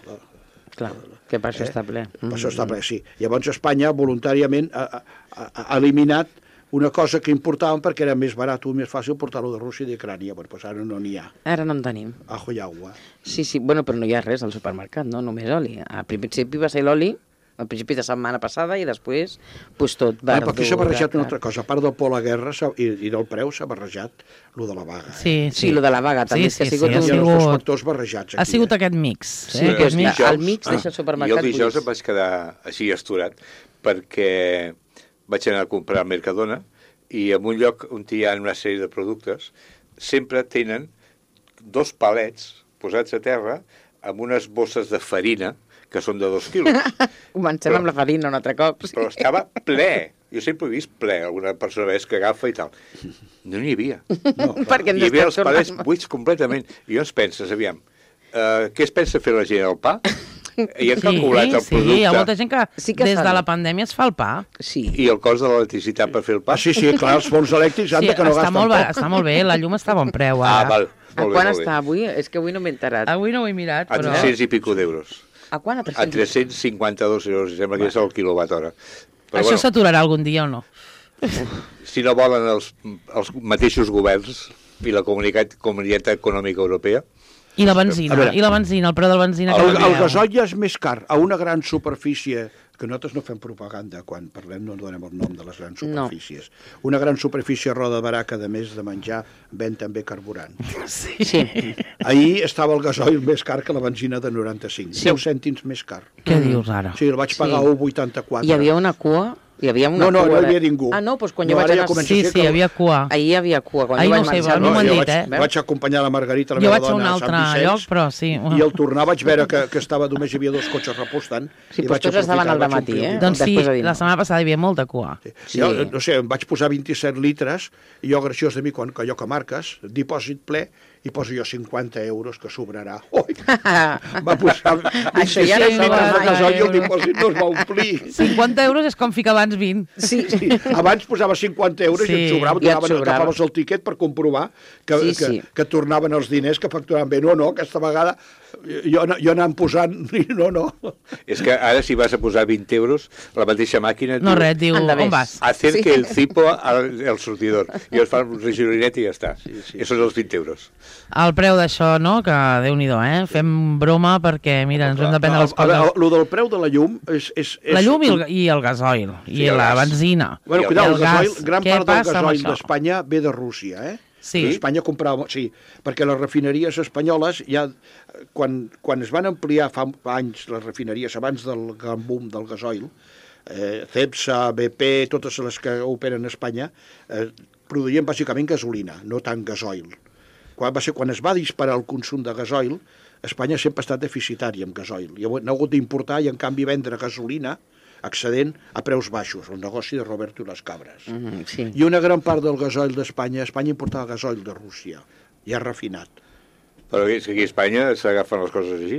Clar, que per això està ple. Per això està ple, sí. Llavors Espanya voluntàriament ha, ha, ha eliminat una cosa que importaven perquè era més barat o més fàcil portar-ho de Rússia i d'Ucrània. Bueno, doncs ara no n'hi ha. Ara no en tenim. Ajo i agua. Sí, sí, bueno, però no hi ha res al supermercat, no? Només oli. Al principi va ser l'oli, al principi de setmana passada, i després, pues tot, Bueno, verdura... però aquí s'ha barrejat una altra cosa. A part del por a la guerra s'ha- i, i del preu s'ha barrejat lo de la vaga. Sí, Sí, lo de la vaga també, és que ha sigut Hi un- ha sigut- els dos factors barrejats aquí. Ha sigut eh? aquest mix. Sí, eh? que aquest és mix. que al mig deixa el supermercat I el dijous buits. em vaig quedar així esturat perquè vaig anar a comprar al Mercadona i en un lloc on hi ha una sèrie de productes sempre tenen dos palets posats a terra amb unes bosses de farina que són de dos quilos. Comencem Però- amb la farina un altre cop. Sí. Però estava ple. Jo sempre he vist ple. Alguna persona ves que agafa i tal. No n'hi havia. No, Perquè Hi havia els estem palets tornant- buits completament. I llavors penses, aviam, uh, què es pensa fer la gent al pa? I han calculat el sí, hi ha molta producte gent que, Sí que des fan. de la pandèmia es fa el pa. Sí. i el cost de l'electricitat per fer el pa. Ah, sí, sí, clar, els forns elèctrics han Sí, de que no està, gasten molt, ba- poc. està molt bé, la llum està a bon preu Ah, ara. val. A Molt bé, quan molt bé. està avui? És que avui no m'he enterat. Avui no ho he mirat, A però... tres-cents i pico d'euros. A quan? A A tres-cents? tres-cents cinquanta-dos euros, sembla que és el quilowatt hora. Però Això bueno, s'aturarà algun dia o no? si no volen els, els mateixos governs i la comunitat, comunitat econòmica europea, I la A benzina, veure. i la benzina, el preu de la benzina. que El, el canvieu. gasoil ja és més car a una gran superfície, que nosaltres no fem propaganda, quan parlem no donem el nom de les grans No. superfícies. Una gran superfície a Roda de Barà que, a més de menjar, ven també carburant. Sí. Sí. Ahir estava el gasoil més car que la benzina de noranta-cinc. Sí. deu cèntims més car. Què dius ara? Sí, el vaig pagar Sí. a un coma vuitanta-quatre. Hi havia una cua? Hi havia una No, no, cua no hi de- havia ningú. Ah, no, doncs quan No, jo vaig ara ja anar... comença- Sí, ser sí, que- hi havia cua. Ahir hi havia cua, quan Ahir jo no vaig sé, menjar... a mi m'ho han jo dit, vaig, eh? vaig acompanyar la Margarita, la Jo meva vaig a un dona, altre Sant Vicenç, lloc, però sí. I al tornar vaig veure que, que estava només hi havia dos cotxes repostant. Sí, i doncs vaig tots estaven aprofitar, al vaig dematí, omplir eh? el Doncs sí, Després de dir la no. setmana passada hi havia molta cua. Sí. Sí. Jo, no sé, em vaig posar vint-i-set litres i jo, graciós de mi, quan que allò que marques, dipòsit ple, i poso jo cinquanta euros, que sobrarà. Ui! Va posar Això ja no vint-i-set sobra litres de mai. gasoil i el dipòsit no es va omplir. cinquanta euros és com ficar abans vint. Sí, Sí. Abans posava cinquanta euros Sí. i et sobrava, I et donaven, sobrava. agafaves el tiquet per comprovar que, Sí, que, sí. que tornaven els diners que facturaven bé. No, no, aquesta vegada jo, jo anant posant... No, no. és que ara si vas a posar vint euros, la mateixa màquina et No, diu, res, diu, Endavés. on vas? acerque Sí. el cipo al, al sortidor. I es fa un regidorinet i ja està. Sí, sí. I són els vint euros. El preu d'això, no? Que Déu-n'hi-do, eh? Fem broma perquè, mira, ens hem de prendre les A veure, coses. el, el del preu de la llum és... és, és La llum i el, i el gasoil, i Sí, el la gas. benzina. Bueno, I el cuidao, el gas. gasoil, gran Què part del passa amb gasoil això? d'Espanya ve de Rússia, eh? Sí. Espanya comprava... Sí, perquè les refineries espanyoles ja... Quan, quan es van ampliar fa anys les refineries, abans del gran boom del gasoil, eh, Cepsa, B P, totes les que operen a Espanya, eh, produïen bàsicament gasolina, no tant gasoil. Quan, va ser, quan es va disparar el consum de gasoil, Espanya sempre ha estat deficitària amb gasoil. I ha hagut d'importar i, en canvi, vendre gasolina accedent a preus baixos, el negoci de Roberto i les cabres. Mm, sí. I una gran part del gasoil d'Espanya, Espanya importava gasoil de Rússia, ja refinat. Però és que aquí a Espanya s'agafen les coses així.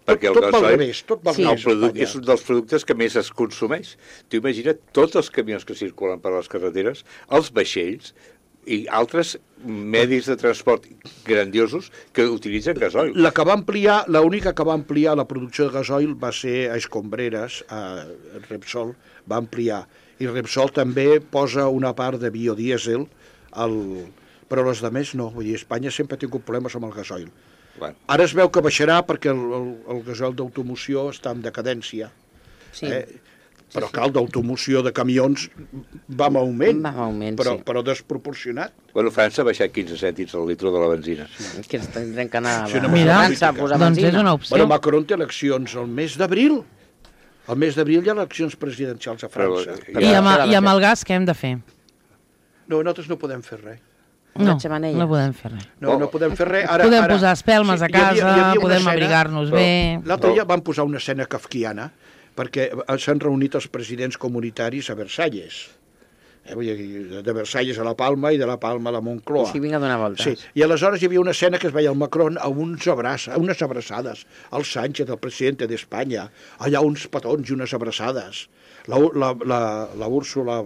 Perquè tot el va al gasoil, revés, tot va al Sí. el revés. produc, Espanya. és un dels productes que més es consumeix. Tu imagina't tots els camions que circulen per les carreteres, els vaixells, i altres medis de transport grandiosos que utilitzen gasoil. La que va ampliar, l'única que va ampliar la producció de gasoil va ser a Escombreres, a Repsol, va ampliar. I Repsol també posa una part de biodièsel, al... però les de més no. Vull dir, Espanya sempre ha tingut problemes amb el gasoil. Bueno. Ara es veu que baixarà perquè el, el, el gasoil d'automoció està en decadència. Sí. Eh? Però cal d'automoció de camions va en augment, Va en augment, però, sí. però desproporcionat. Bueno, França ha baixat quinze cèntims al litre de la benzina. És que ens tindrem que anar Sí, no, a Mira, França a posar doncs és benzina. una opció. Bueno, Macron té eleccions al mes d'abril. Al mes d'abril hi ha eleccions presidencials a França. Però, I ja- amb, I amb el gas què hem de fer? No, nosaltres no podem fer res. No, Una xemeneia. no podem fer res. No, no podem fer res. Ara, Podem ara, posar espelmes a hi havia- hi casa, havia una podem escena- abrigar-nos però- bé. L'altre dia van posar una escena kafkiana perquè s'han reunit els presidents comunitaris a Versalles. Eh, vull dir, de Versalles a la Palma i de la Palma a la Moncloa. Sí, vinc a donar voltes. Sí, i aleshores hi havia una escena que es veia el Macron a uns abraç, a unes abraçades, al Sánchez, el president d'Espanya, allà uns petons i unes abraçades. La, la, la, la Úrsula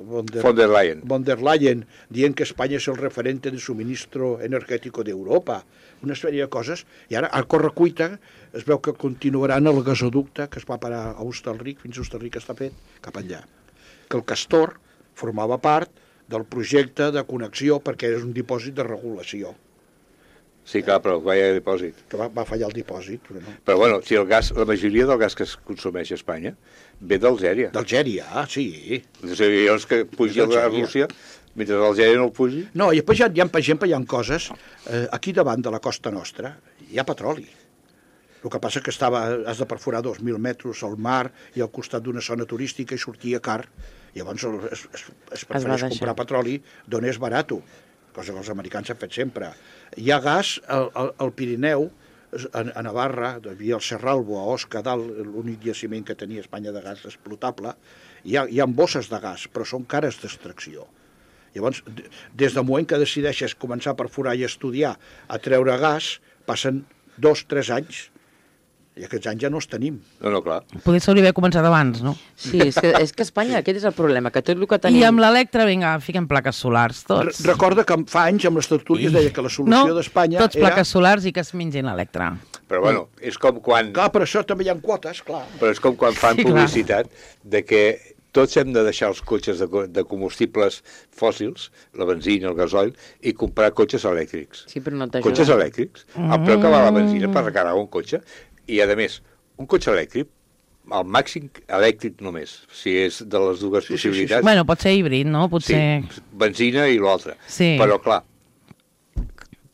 von der, Von der Leyen. von der Leyen dient que Espanya és el referente de suministro energètico d'Europa, una sèrie de coses, i ara a correcuita es veu que continuaran el gasoducte que es va parar a Hostalric, fins a Hostalric està fet, cap allà. Que el Castor formava part del projecte de connexió perquè és un dipòsit de regulació, Sí, clar, però vaya dipòsit. que va, va fallar el dipòsit, però no. Però bueno, si el gas, la majoria del gas que es consumeix a Espanya ve d'Algèria. D'Algèria, ah, sí. O sigui, llavors que pugi a d'Algèria. Rússia, mentre l'Algèria no el pugi... No, i després hi ha, hi ha, per exemple, hi ha coses, eh, aquí davant de la costa nostra hi ha petroli. El que passa que estava, has de perforar dos mil metres al mar i al costat d'una zona turística i sortia car. Llavors el- es, es, es prefereix deixar. comprar petroli d'on és barat, cosa que els americans han fet sempre. Hi ha gas al, al, al Pirineu, a, a Navarra, hi havia el Serralbo, a Osca, dalt, l'únic jaciment que tenia Espanya de gas explotable, hi ha, hi ha bosses de gas, però són cares d'extracció. Llavors, d- des del moment que decideixes començar a perforar i estudiar a treure gas, passen dos, tres anys, i aquests anys ja no els tenim. No, no, clar. Poder s'hauria d'haver començat abans, no? Sí, és que, és que Espanya, aquest és el problema, que tot el que tenim... I amb l'Electra, vinga, fiquem plaques solars, Re tots. recorda que fa anys amb les tertúlies deia que la solució no, d'Espanya tots era... plaques solars i que es mengin l'Electra. Però bueno, és com quan, Clar, per això també hi ha quotes, clar. però és com quan fan Sí, clar. publicitat de que tots hem de deixar els cotxes de, co- de combustibles fòssils, la benzina, el gasoil, i comprar cotxes elèctrics. Sí, però no t'ajuda. Cotxes elèctrics, el preu que val la benzina per recarregar un cotxe, i a més, un cotxe elèctric, al màxim elèctric només, si és de les dues Sí, sí, sí, sí. possibilitats. Bueno, pot ser híbrid, no? Potser... Sí, benzina i l'altre. Sí. Però, clar,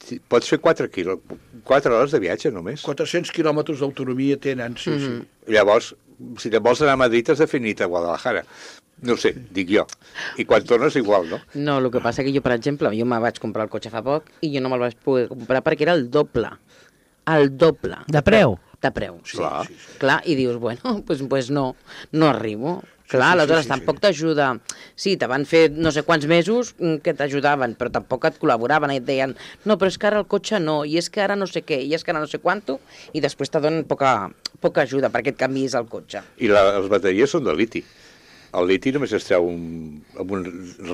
si- pots fer quatre, quilo, quatre hores de viatge només. quatre-cents quilòmetres d'autonomia tenen, sí, sí. Llavors, si te vols anar a Madrid has de fer nit a Guadalajara. No ho sé, dic jo. I quan tornes igual, no? No, el que passa que jo, per exemple, jo me vaig comprar el cotxe fa poc i jo no me'l vaig poder comprar perquè era el doble. El doble. De preu? De preu. Sí, Clar. sí, sí. Clar, i dius, bueno, pues, pues no, no arribo. Sí, Clar, sí, aleshores sí, sí, tampoc sí. t'ajuda. Sí, te van fer no sé quants mesos mm, que t'ajudaven, però tampoc et col·laboraven i et deien, no, però és que ara el cotxe no, i és que ara no sé què, i és que ara no sé quanto, i després te donen poca, poca ajuda perquè et canviïs el cotxe. I la, les bateries són de liti. El liti només es treu un, en un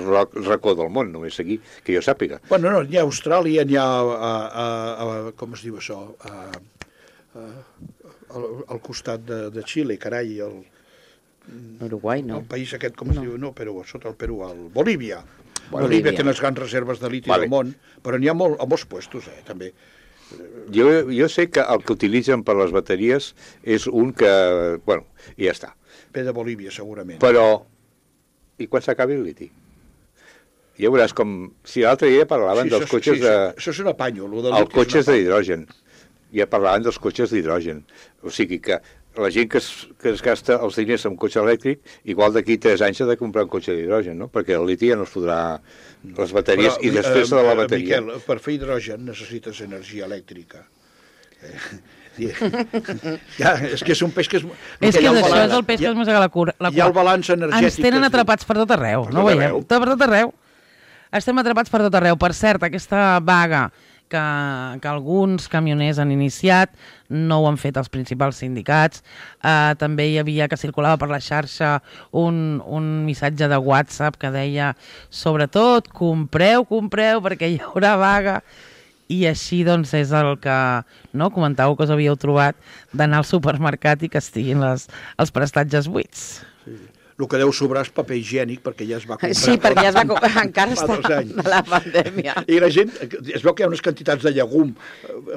roc, racó del món, només aquí, que jo sàpiga. Bueno, no, n'hi ha a Austràlia, n'hi ha a, a, a, a, com es diu això, a, a, al, al costat de, de Xile, carai, el, Uruguai, no. el país aquest, com es No. diu, no, Perú, sota el Perú, el Bolívia. Bolívia. Bolívia té les grans reserves de liti Vale. del món, però n'hi ha molt, a molts puestos, eh, també. Jo, jo sé que el que utilitzen per les bateries és un que... Bueno, i ja està. Ve de Bolívia, segurament. Però... I quan s'acabi el liti? Ja veuràs com... Si l'altre dia parlaven Sí, dels això, cotxes sí, de... Això és un apanyo. Lo del Els liti és cotxes un apanyo. d'hidrogen. Ja parlaven dels cotxes d'hidrogen. O sigui que la gent que es, que es gasta els diners en un cotxe elèctric, igual d'aquí tres anys ha de comprar un cotxe d'hidrogen, no? Perquè el liti ja no es podrà... Les bateries, Però, i després eh, de la eh, bateria... Miquel, per fer hidrogen necessites energia elèctrica. Eh, ja, és que és un peix que és... És que hi ha és el això, balanç- és el peix hi que ha- es mossega la cura. La hi ha el cua. balanç energètic. Ens tenen que es diu. atrapats per tot arreu, Per no tot ho veiem? arreu. Per tot arreu. Estem atrapats per tot arreu. Per cert, aquesta vaga que, que alguns camioners han iniciat, no ho han fet els principals sindicats. Uh, també hi havia que circulava per la xarxa un, un missatge de WhatsApp que deia sobretot compreu, compreu perquè hi haurà vaga. I així doncs és el que no, comentàveu que us havíeu trobat d'anar al supermercat i que estiguin les, els prestatges buits. Sí. El que deu sobrar és paper higiènic, perquè ja es va comprar. Sí, perquè ja es va comprar, encara fa dos està anys. de la pandèmia. I la gent, es veu que hi ha unes quantitats de llegum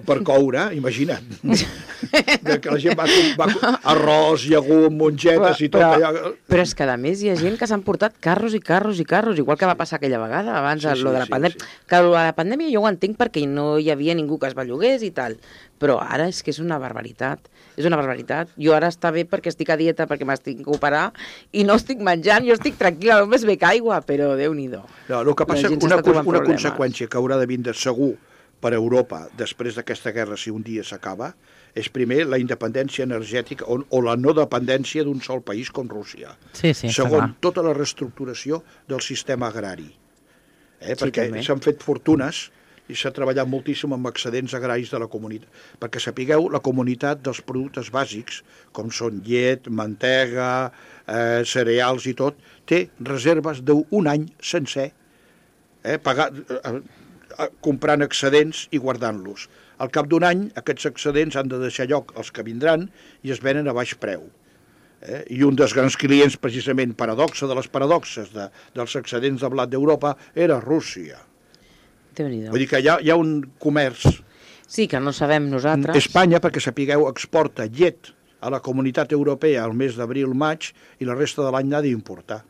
per coure, imagina't. Que la gent va, va arròs, llegum, mongetes i tot però, allò. Però és que a més hi ha gent que s'han portat carros i carros i carros, igual que va passar aquella vegada abans Sí, sí, sí, lo de la sí, pandèmia. sí. Que lo de la pandèmia jo ho entenc perquè no hi havia ningú que es bellugués i tal, però ara és que és una barbaritat. És una barbaritat. Jo ara està bé perquè estic a dieta, perquè m'estic a operar i no estic menjant, jo estic tranquil·la, només bec aigua, però Déu-n'hi-do. No, el que passa, La gent una, s'està trobant una problemes. conseqüència que haurà de vindre segur per a Europa després d'aquesta guerra, si un dia s'acaba, és primer la independència energètica o, o la no dependència d'un sol país com Rússia. Sí, sí, està Segon, clar. tota la reestructuració del sistema agrari. Eh? Sí, Perquè també. s'han fet fortunes i s'ha treballat moltíssim amb excedents agraris de la comunitat. Perquè sapigueu, la comunitat dels productes bàsics, com són llet, mantega, eh, cereals i tot, té reserves d'un any sencer, eh, pagar, eh, eh, comprant excedents i guardant-los. Al cap d'un any, aquests excedents han de deixar lloc als que vindran i es venen a baix preu. Eh? I un dels grans clients, precisament, paradoxa de les paradoxes de, dels excedents de blat d'Europa, era Rússia. Déu-n'hi-do. Vull dir que hi ha, hi ha un comerç. Sí, que no sabem nosaltres. Espanya, perquè sapigueu, exporta llet a la comunitat europea al mes d'abril-maig i la resta de l'any n'ha d'importar.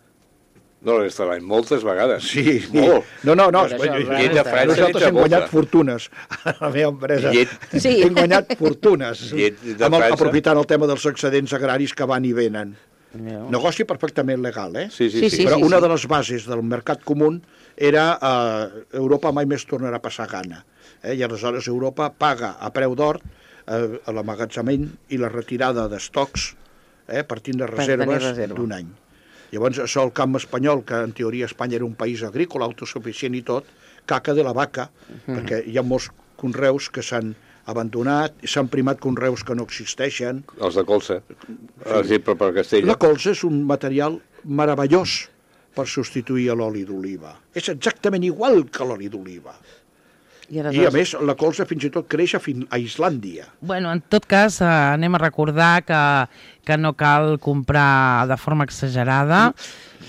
No, la resta de l'any, moltes vegades. Sí, Molt. No, no, no. Per això, llet de França Nosaltres entre hem guanyat molta. fortunes a la meva empresa. Llet. Sí. Hem guanyat fortunes. Llet de amb el, França. aprofitant el tema dels excedents agraris que van i venen. No. Negoci perfectament legal, eh? Sí, sí, Sí, sí. sí. Però una de les bases del mercat comú era eh, Europa mai més tornarà a passar gana. Eh? I aleshores Europa paga a preu d'or eh, l'emmagatzemament i la retirada d'estocs eh, partint de Per tenir reserves reserva. d'un any. Llavors, això el camp espanyol, que en teoria Espanya era un país agrícola, autosuficient i tot, caca de la vaca, Mhm. perquè hi ha molts conreus que s'han abandonat, s'han primat conreus que no existeixen. Els de colza, per exemple, per Castella. La colza és un material meravellós per substituir a l'oli d'oliva. És exactament igual que l'oli d'oliva. I, I, a més, la colza fins i tot creix a, fin a Islàndia. Bueno, en tot cas, eh, anem a recordar que, que no cal comprar de forma exagerada,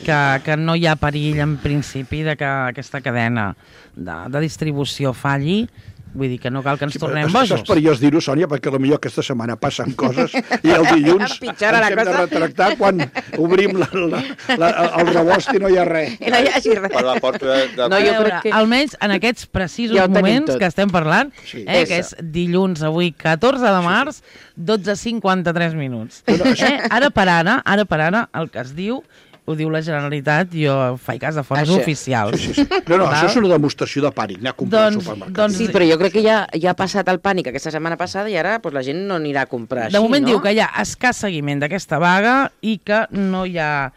que, que no hi ha perill en principi de que aquesta cadena de, de distribució falli. Vull dir que no cal que ens tornem és, bojos. és perillós dir-ho, Sònia, perquè potser aquesta setmana passen coses i el dilluns Empitjora la ens hem de cosa. retractar quan obrim la, la, la, el rebost i no hi ha res. I no hi hagi res. Per la porta de... de... No, A jo veure, crec que- almenys en aquests precisos Ja ho tenim moments tot. que estem parlant, Sí. eh, que és dilluns, avui, catorze de març, dotze cinquanta-tres minuts. Eh? Ara per ara, ara per ara, el que es diu, ho diu la Generalitat, jo faig cas de fonts Això. oficials. Sí, sí. No, no, Val? això és una demostració de pànic, anar a comprar Doncs- al supermercat. doncs- Sí, però jo crec que ja, ja ha passat el pànic aquesta setmana passada i ara pues, la gent no anirà a comprar així, De moment no? diu que hi ha escàs seguiment d'aquesta vaga i que no hi ha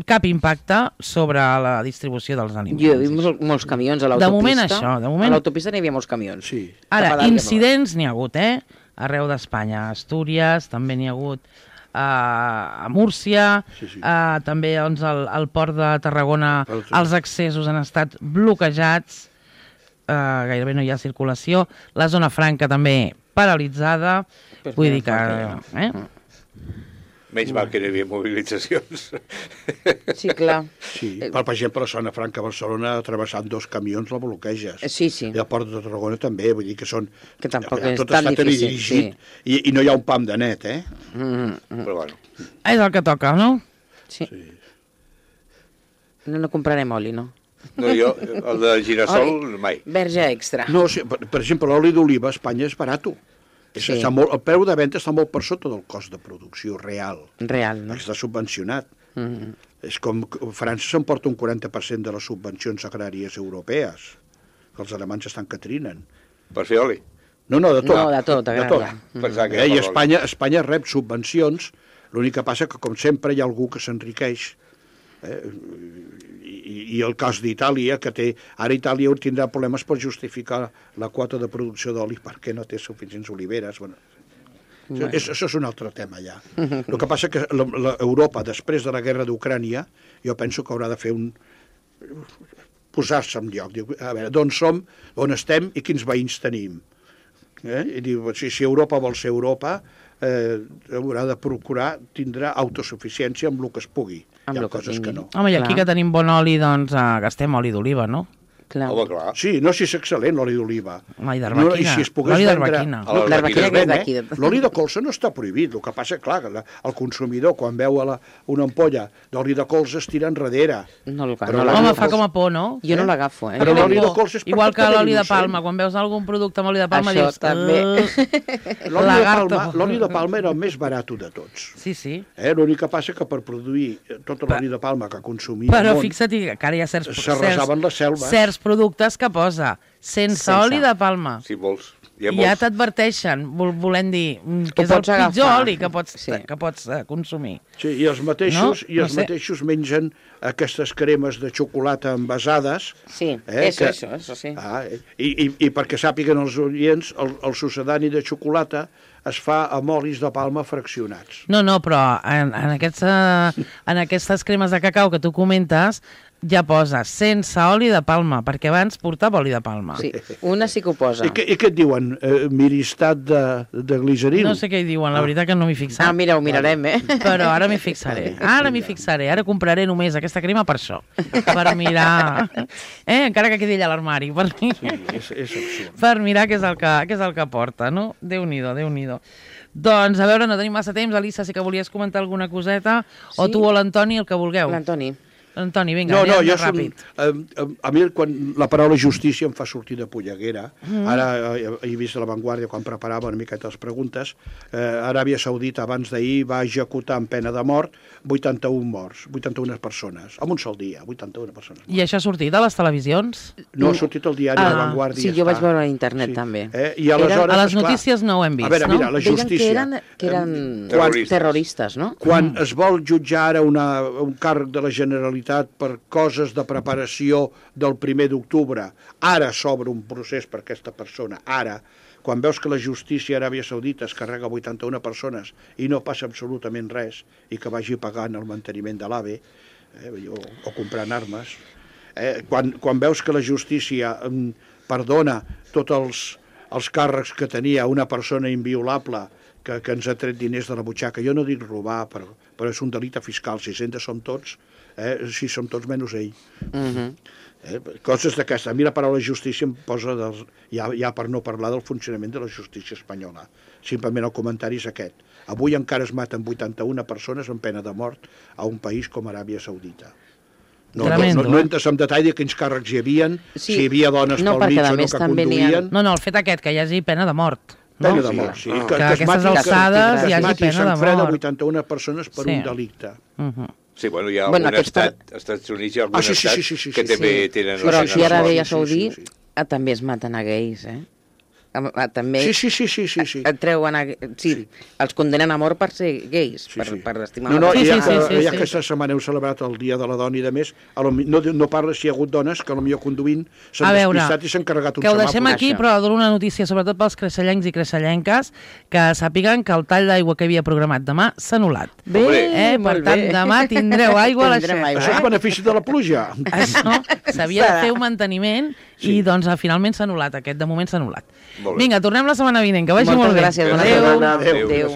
cap impacte sobre la distribució dels aliments. Jo he vist molts, molts camions a De l'autopista. moment això, de moment- A l'autopista n'hi havia molts camions. Sí. Ara, Cap a dalt i cap incidents n'hi ha hagut, eh? Arreu d'Espanya. A Astúries també n'hi ha hagut, uh, a Múrcia, Sí, sí. uh, també doncs, al, al port de Tarragona Al- els accessos han estat bloquejats, uh, gairebé no hi ha circulació. La zona franca també paralitzada. Pues Vull menys dir que... mal que Eh? Menys mal que no hi havia mobilitzacions. Sí, clar. Sí, per, per exemple, a la zona franca de Barcelona, travessant dos camions la bloqueges. Eh, Sí, sí. I al port de Tarragona també, vull dir que són... Que tampoc ja, és tot tan està difícil, teledirigit i, i no hi ha un pam de net, eh? Mm, mm, Però bueno, És el que toca, no? sí. No, no comprarem oli, no? no, jo, el de girassol, mai. Verge extra. No, sí, per, per exemple, l'oli d'oliva a Espanya és barat. És, Sí. està molt, el preu de venda està molt per sota del cost de producció real. Real, no? Està subvencionat. Mm. És com que França s'emporta un quaranta per cent de les subvencions agràries europees, que els alemanys estan que trinen. Per fer oli. No, no, de tot. No, de tot, de agrària. tot. Pensava que Eh, era I per l'oli. Espanya, Espanya rep subvencions, l'únic que passa que, com sempre, hi ha algú que s'enriqueix Eh? I, I el cas d'Itàlia, que té... Ara Itàlia tindrà problemes per justificar la quota de producció d'oli perquè no té suficients oliveres. Bueno, bueno. Això, això és un altre tema, ja. El que passa que la, la Europa, després de la guerra d'Ucrània, jo penso que haurà de fer un... posar-se en lloc. Diu, a veure, d'on som, on estem i quins veïns tenim. Eh? I diu, si, si Europa vol ser Europa, eh, haurà de procurar, tindrà autosuficiència amb el que es pugui. Amb Hi ha lo que coses que tingui. no. Home, i aquí Clar. que tenim bon oli, doncs eh, gastem oli d'oliva, no? Clar. Home, clar. Sí, no, si és excel·lent l'oli d'oliva. Ai, d'arbequina. No, i si es pogués L'oli vendre... d'arbequina. Ah, L'arbequina que és d'aquí. L'oli de colza no està prohibit. El que passa, clar, que la, el consumidor, quan veu a la, una ampolla d'oli de colza, es tira enrere. No, el- Però no l'oli Home, de fa colza- com a por, no? Jo no Eh? l'agafo, eh? Però Jo l'oli dic, de colza és igual que perfectament l'oli de innocent. palma, quan veus algun producte amb oli de palma Això dius... també. "Ugh". L'oli de, Lagarto. palma, l'oli de palma era el més barat de tots. Sí, sí. Eh? L'únic que passa que per produir tot l'oli de palma que consumia Però el món, fixa't que ara hi ha certs, s'arrasaven les certs, selves. certs productes que posa sense, Sense. oli de palma. Si vols. Hi ha I ja molts. t'adverteixen, vol, volent dir mm, que Ho és el pots pitjor agafar. oli que pots, Sí. que pots uh, consumir. Sí, i els mateixos, No? i els No sé. mateixos mengen aquestes cremes de xocolata envasades. Sí, Eh, eso, que- eso, eso sí. Ah, eh, i, i, I perquè sàpiguen els oients, el, el sucedani de xocolata es fa amb olis de palma fraccionats. No, no, però en, en, aquests, uh, en aquestes cremes de cacau que tu comentes ja posa sense oli de palma, perquè abans portava oli de palma. Sí, una sí que ho posa. I, què, I què et diuen? Eh, miristat de, de gliceril? No sé què hi diuen, la veritat que no m'hi fixat. Ah, mira, ho mirarem, eh? Però ara m'hi fixaré. Ara m'hi fixaré. Ara compraré només aquesta crema per això. Per mirar... Eh? Encara que quedi allà a l'armari. Per, Sí, és, és absurd. per mirar què és, el que, què és el que porta, no? Déu-n'hi-do, Déu-n'hi-do. Doncs, a veure, no tenim massa temps. Elisa, sí que volies comentar alguna coseta. O Sí. tu o l'Antoni, el que vulgueu. L'Antoni. Antoni, vinga, No, no, anem jo més som, ràpid. eh, a mi quan la paraula justícia em fa sortir de polleguera. Mm. Ara eh, he vist a La Vanguardia quan preparava una miqueta les preguntes. Eh, Aràbia Saudita abans d'ahir va executar en pena de mort vuitanta-un morts, vuitanta-una persones, en un sol dia, vuitanta-una persones. I això ha sortit a les televisions? No ha sortit al diari Ah, La Vanguardia. sí, jo està. vaig veure a internet, també. Eh? I aleshores, A les esclar, notícies no ho hem vist, a veure, no? mira, la Deien justícia. que eren, que eren Terroristes. terroristes, no? Quan es vol jutjar ara una, un càrrec de la Generalitat per coses de preparació del primer d'octubre, ara s'obre un procés per aquesta persona, ara, quan veus que la justícia a Aràbia Saudita es carrega vuitanta-una persones i no passa absolutament res, i que vagi pagant el manteniment de l'AVE, eh, o, o comprant armes, eh, quan, quan veus que la justícia mm, perdona tots els, els càrrecs que tenia una persona inviolable que, que ens ha tret diners de la butxaca, jo no dic robar, però, però és un delicte fiscal, si Hisenda som tots, eh, si som tots menys ell. Mhm. Eh, coses d'aquesta. A mi la paraula justícia em posa dels, ja, ja per no parlar del funcionament de la justícia espanyola. Simplement el comentari és aquest. Avui encara es maten vuitanta-una persones en pena de mort a un país com Aràbia Saudita. No, no, Tremendo, no, no eh? entres en detall de quins càrrecs hi havia, Sí. si hi havia dones No, pel perquè mig a o no més que també n'hi ha- conduïen. No, no, el fet aquest, que hi hagi pena de mort. No? Pena de mort, sí. Ah. Que es aquestes mati- alçades que hi es hagi mati pena de se'n freda mort. vuitanta-una persones per Sí. un delicte. Uh -huh. Sí, bueno, hi ha Bueno, algun aquests estat, als Estats Units hi ha algun Ah, sí, sí, estat sí, sí, sí, que sí, també sí. tenen... Però la aquí pena a de mort. Aràbia sí, sí, Saudí sí. ah, també es maten a gais, eh? Ah, ah, també Sí, sí, sí, sí, sí, sí. et treuen a... Sí, Sí. els condenen a mort per ser gais, Sí, per, sí. per estimar No, no, Sí, i ja, sí, que, sí, sí, ja sí. que aquesta setmana heu celebrat el Dia de la Dona i de més, a lo, mi- no, no parla si hi ha hagut dones que potser conduint s'han A veure, despistat i s'han carregat un que ho deixem semàfor. aquí, Això. però dono una notícia, sobretot pels creixellencs i creixellenques, que sàpiguen que el tall d'aigua que havia programat demà s'ha anul·lat. Bé, Eh? Per molt tant, bé. demà tindreu aigua a la Tindrem xerxa. aigua. Això és benefici de la pluja. Això s'havia de Serà. fer un manteniment Sí. i doncs finalment s'ha anul·lat, aquest de moment s'ha anul·lat. Molt bé. Vinga, tornem la setmana vinent, que vagi Moltes molt bé. gràcies, bona Adéu. setmana. Adéu. Adéu. Adéu.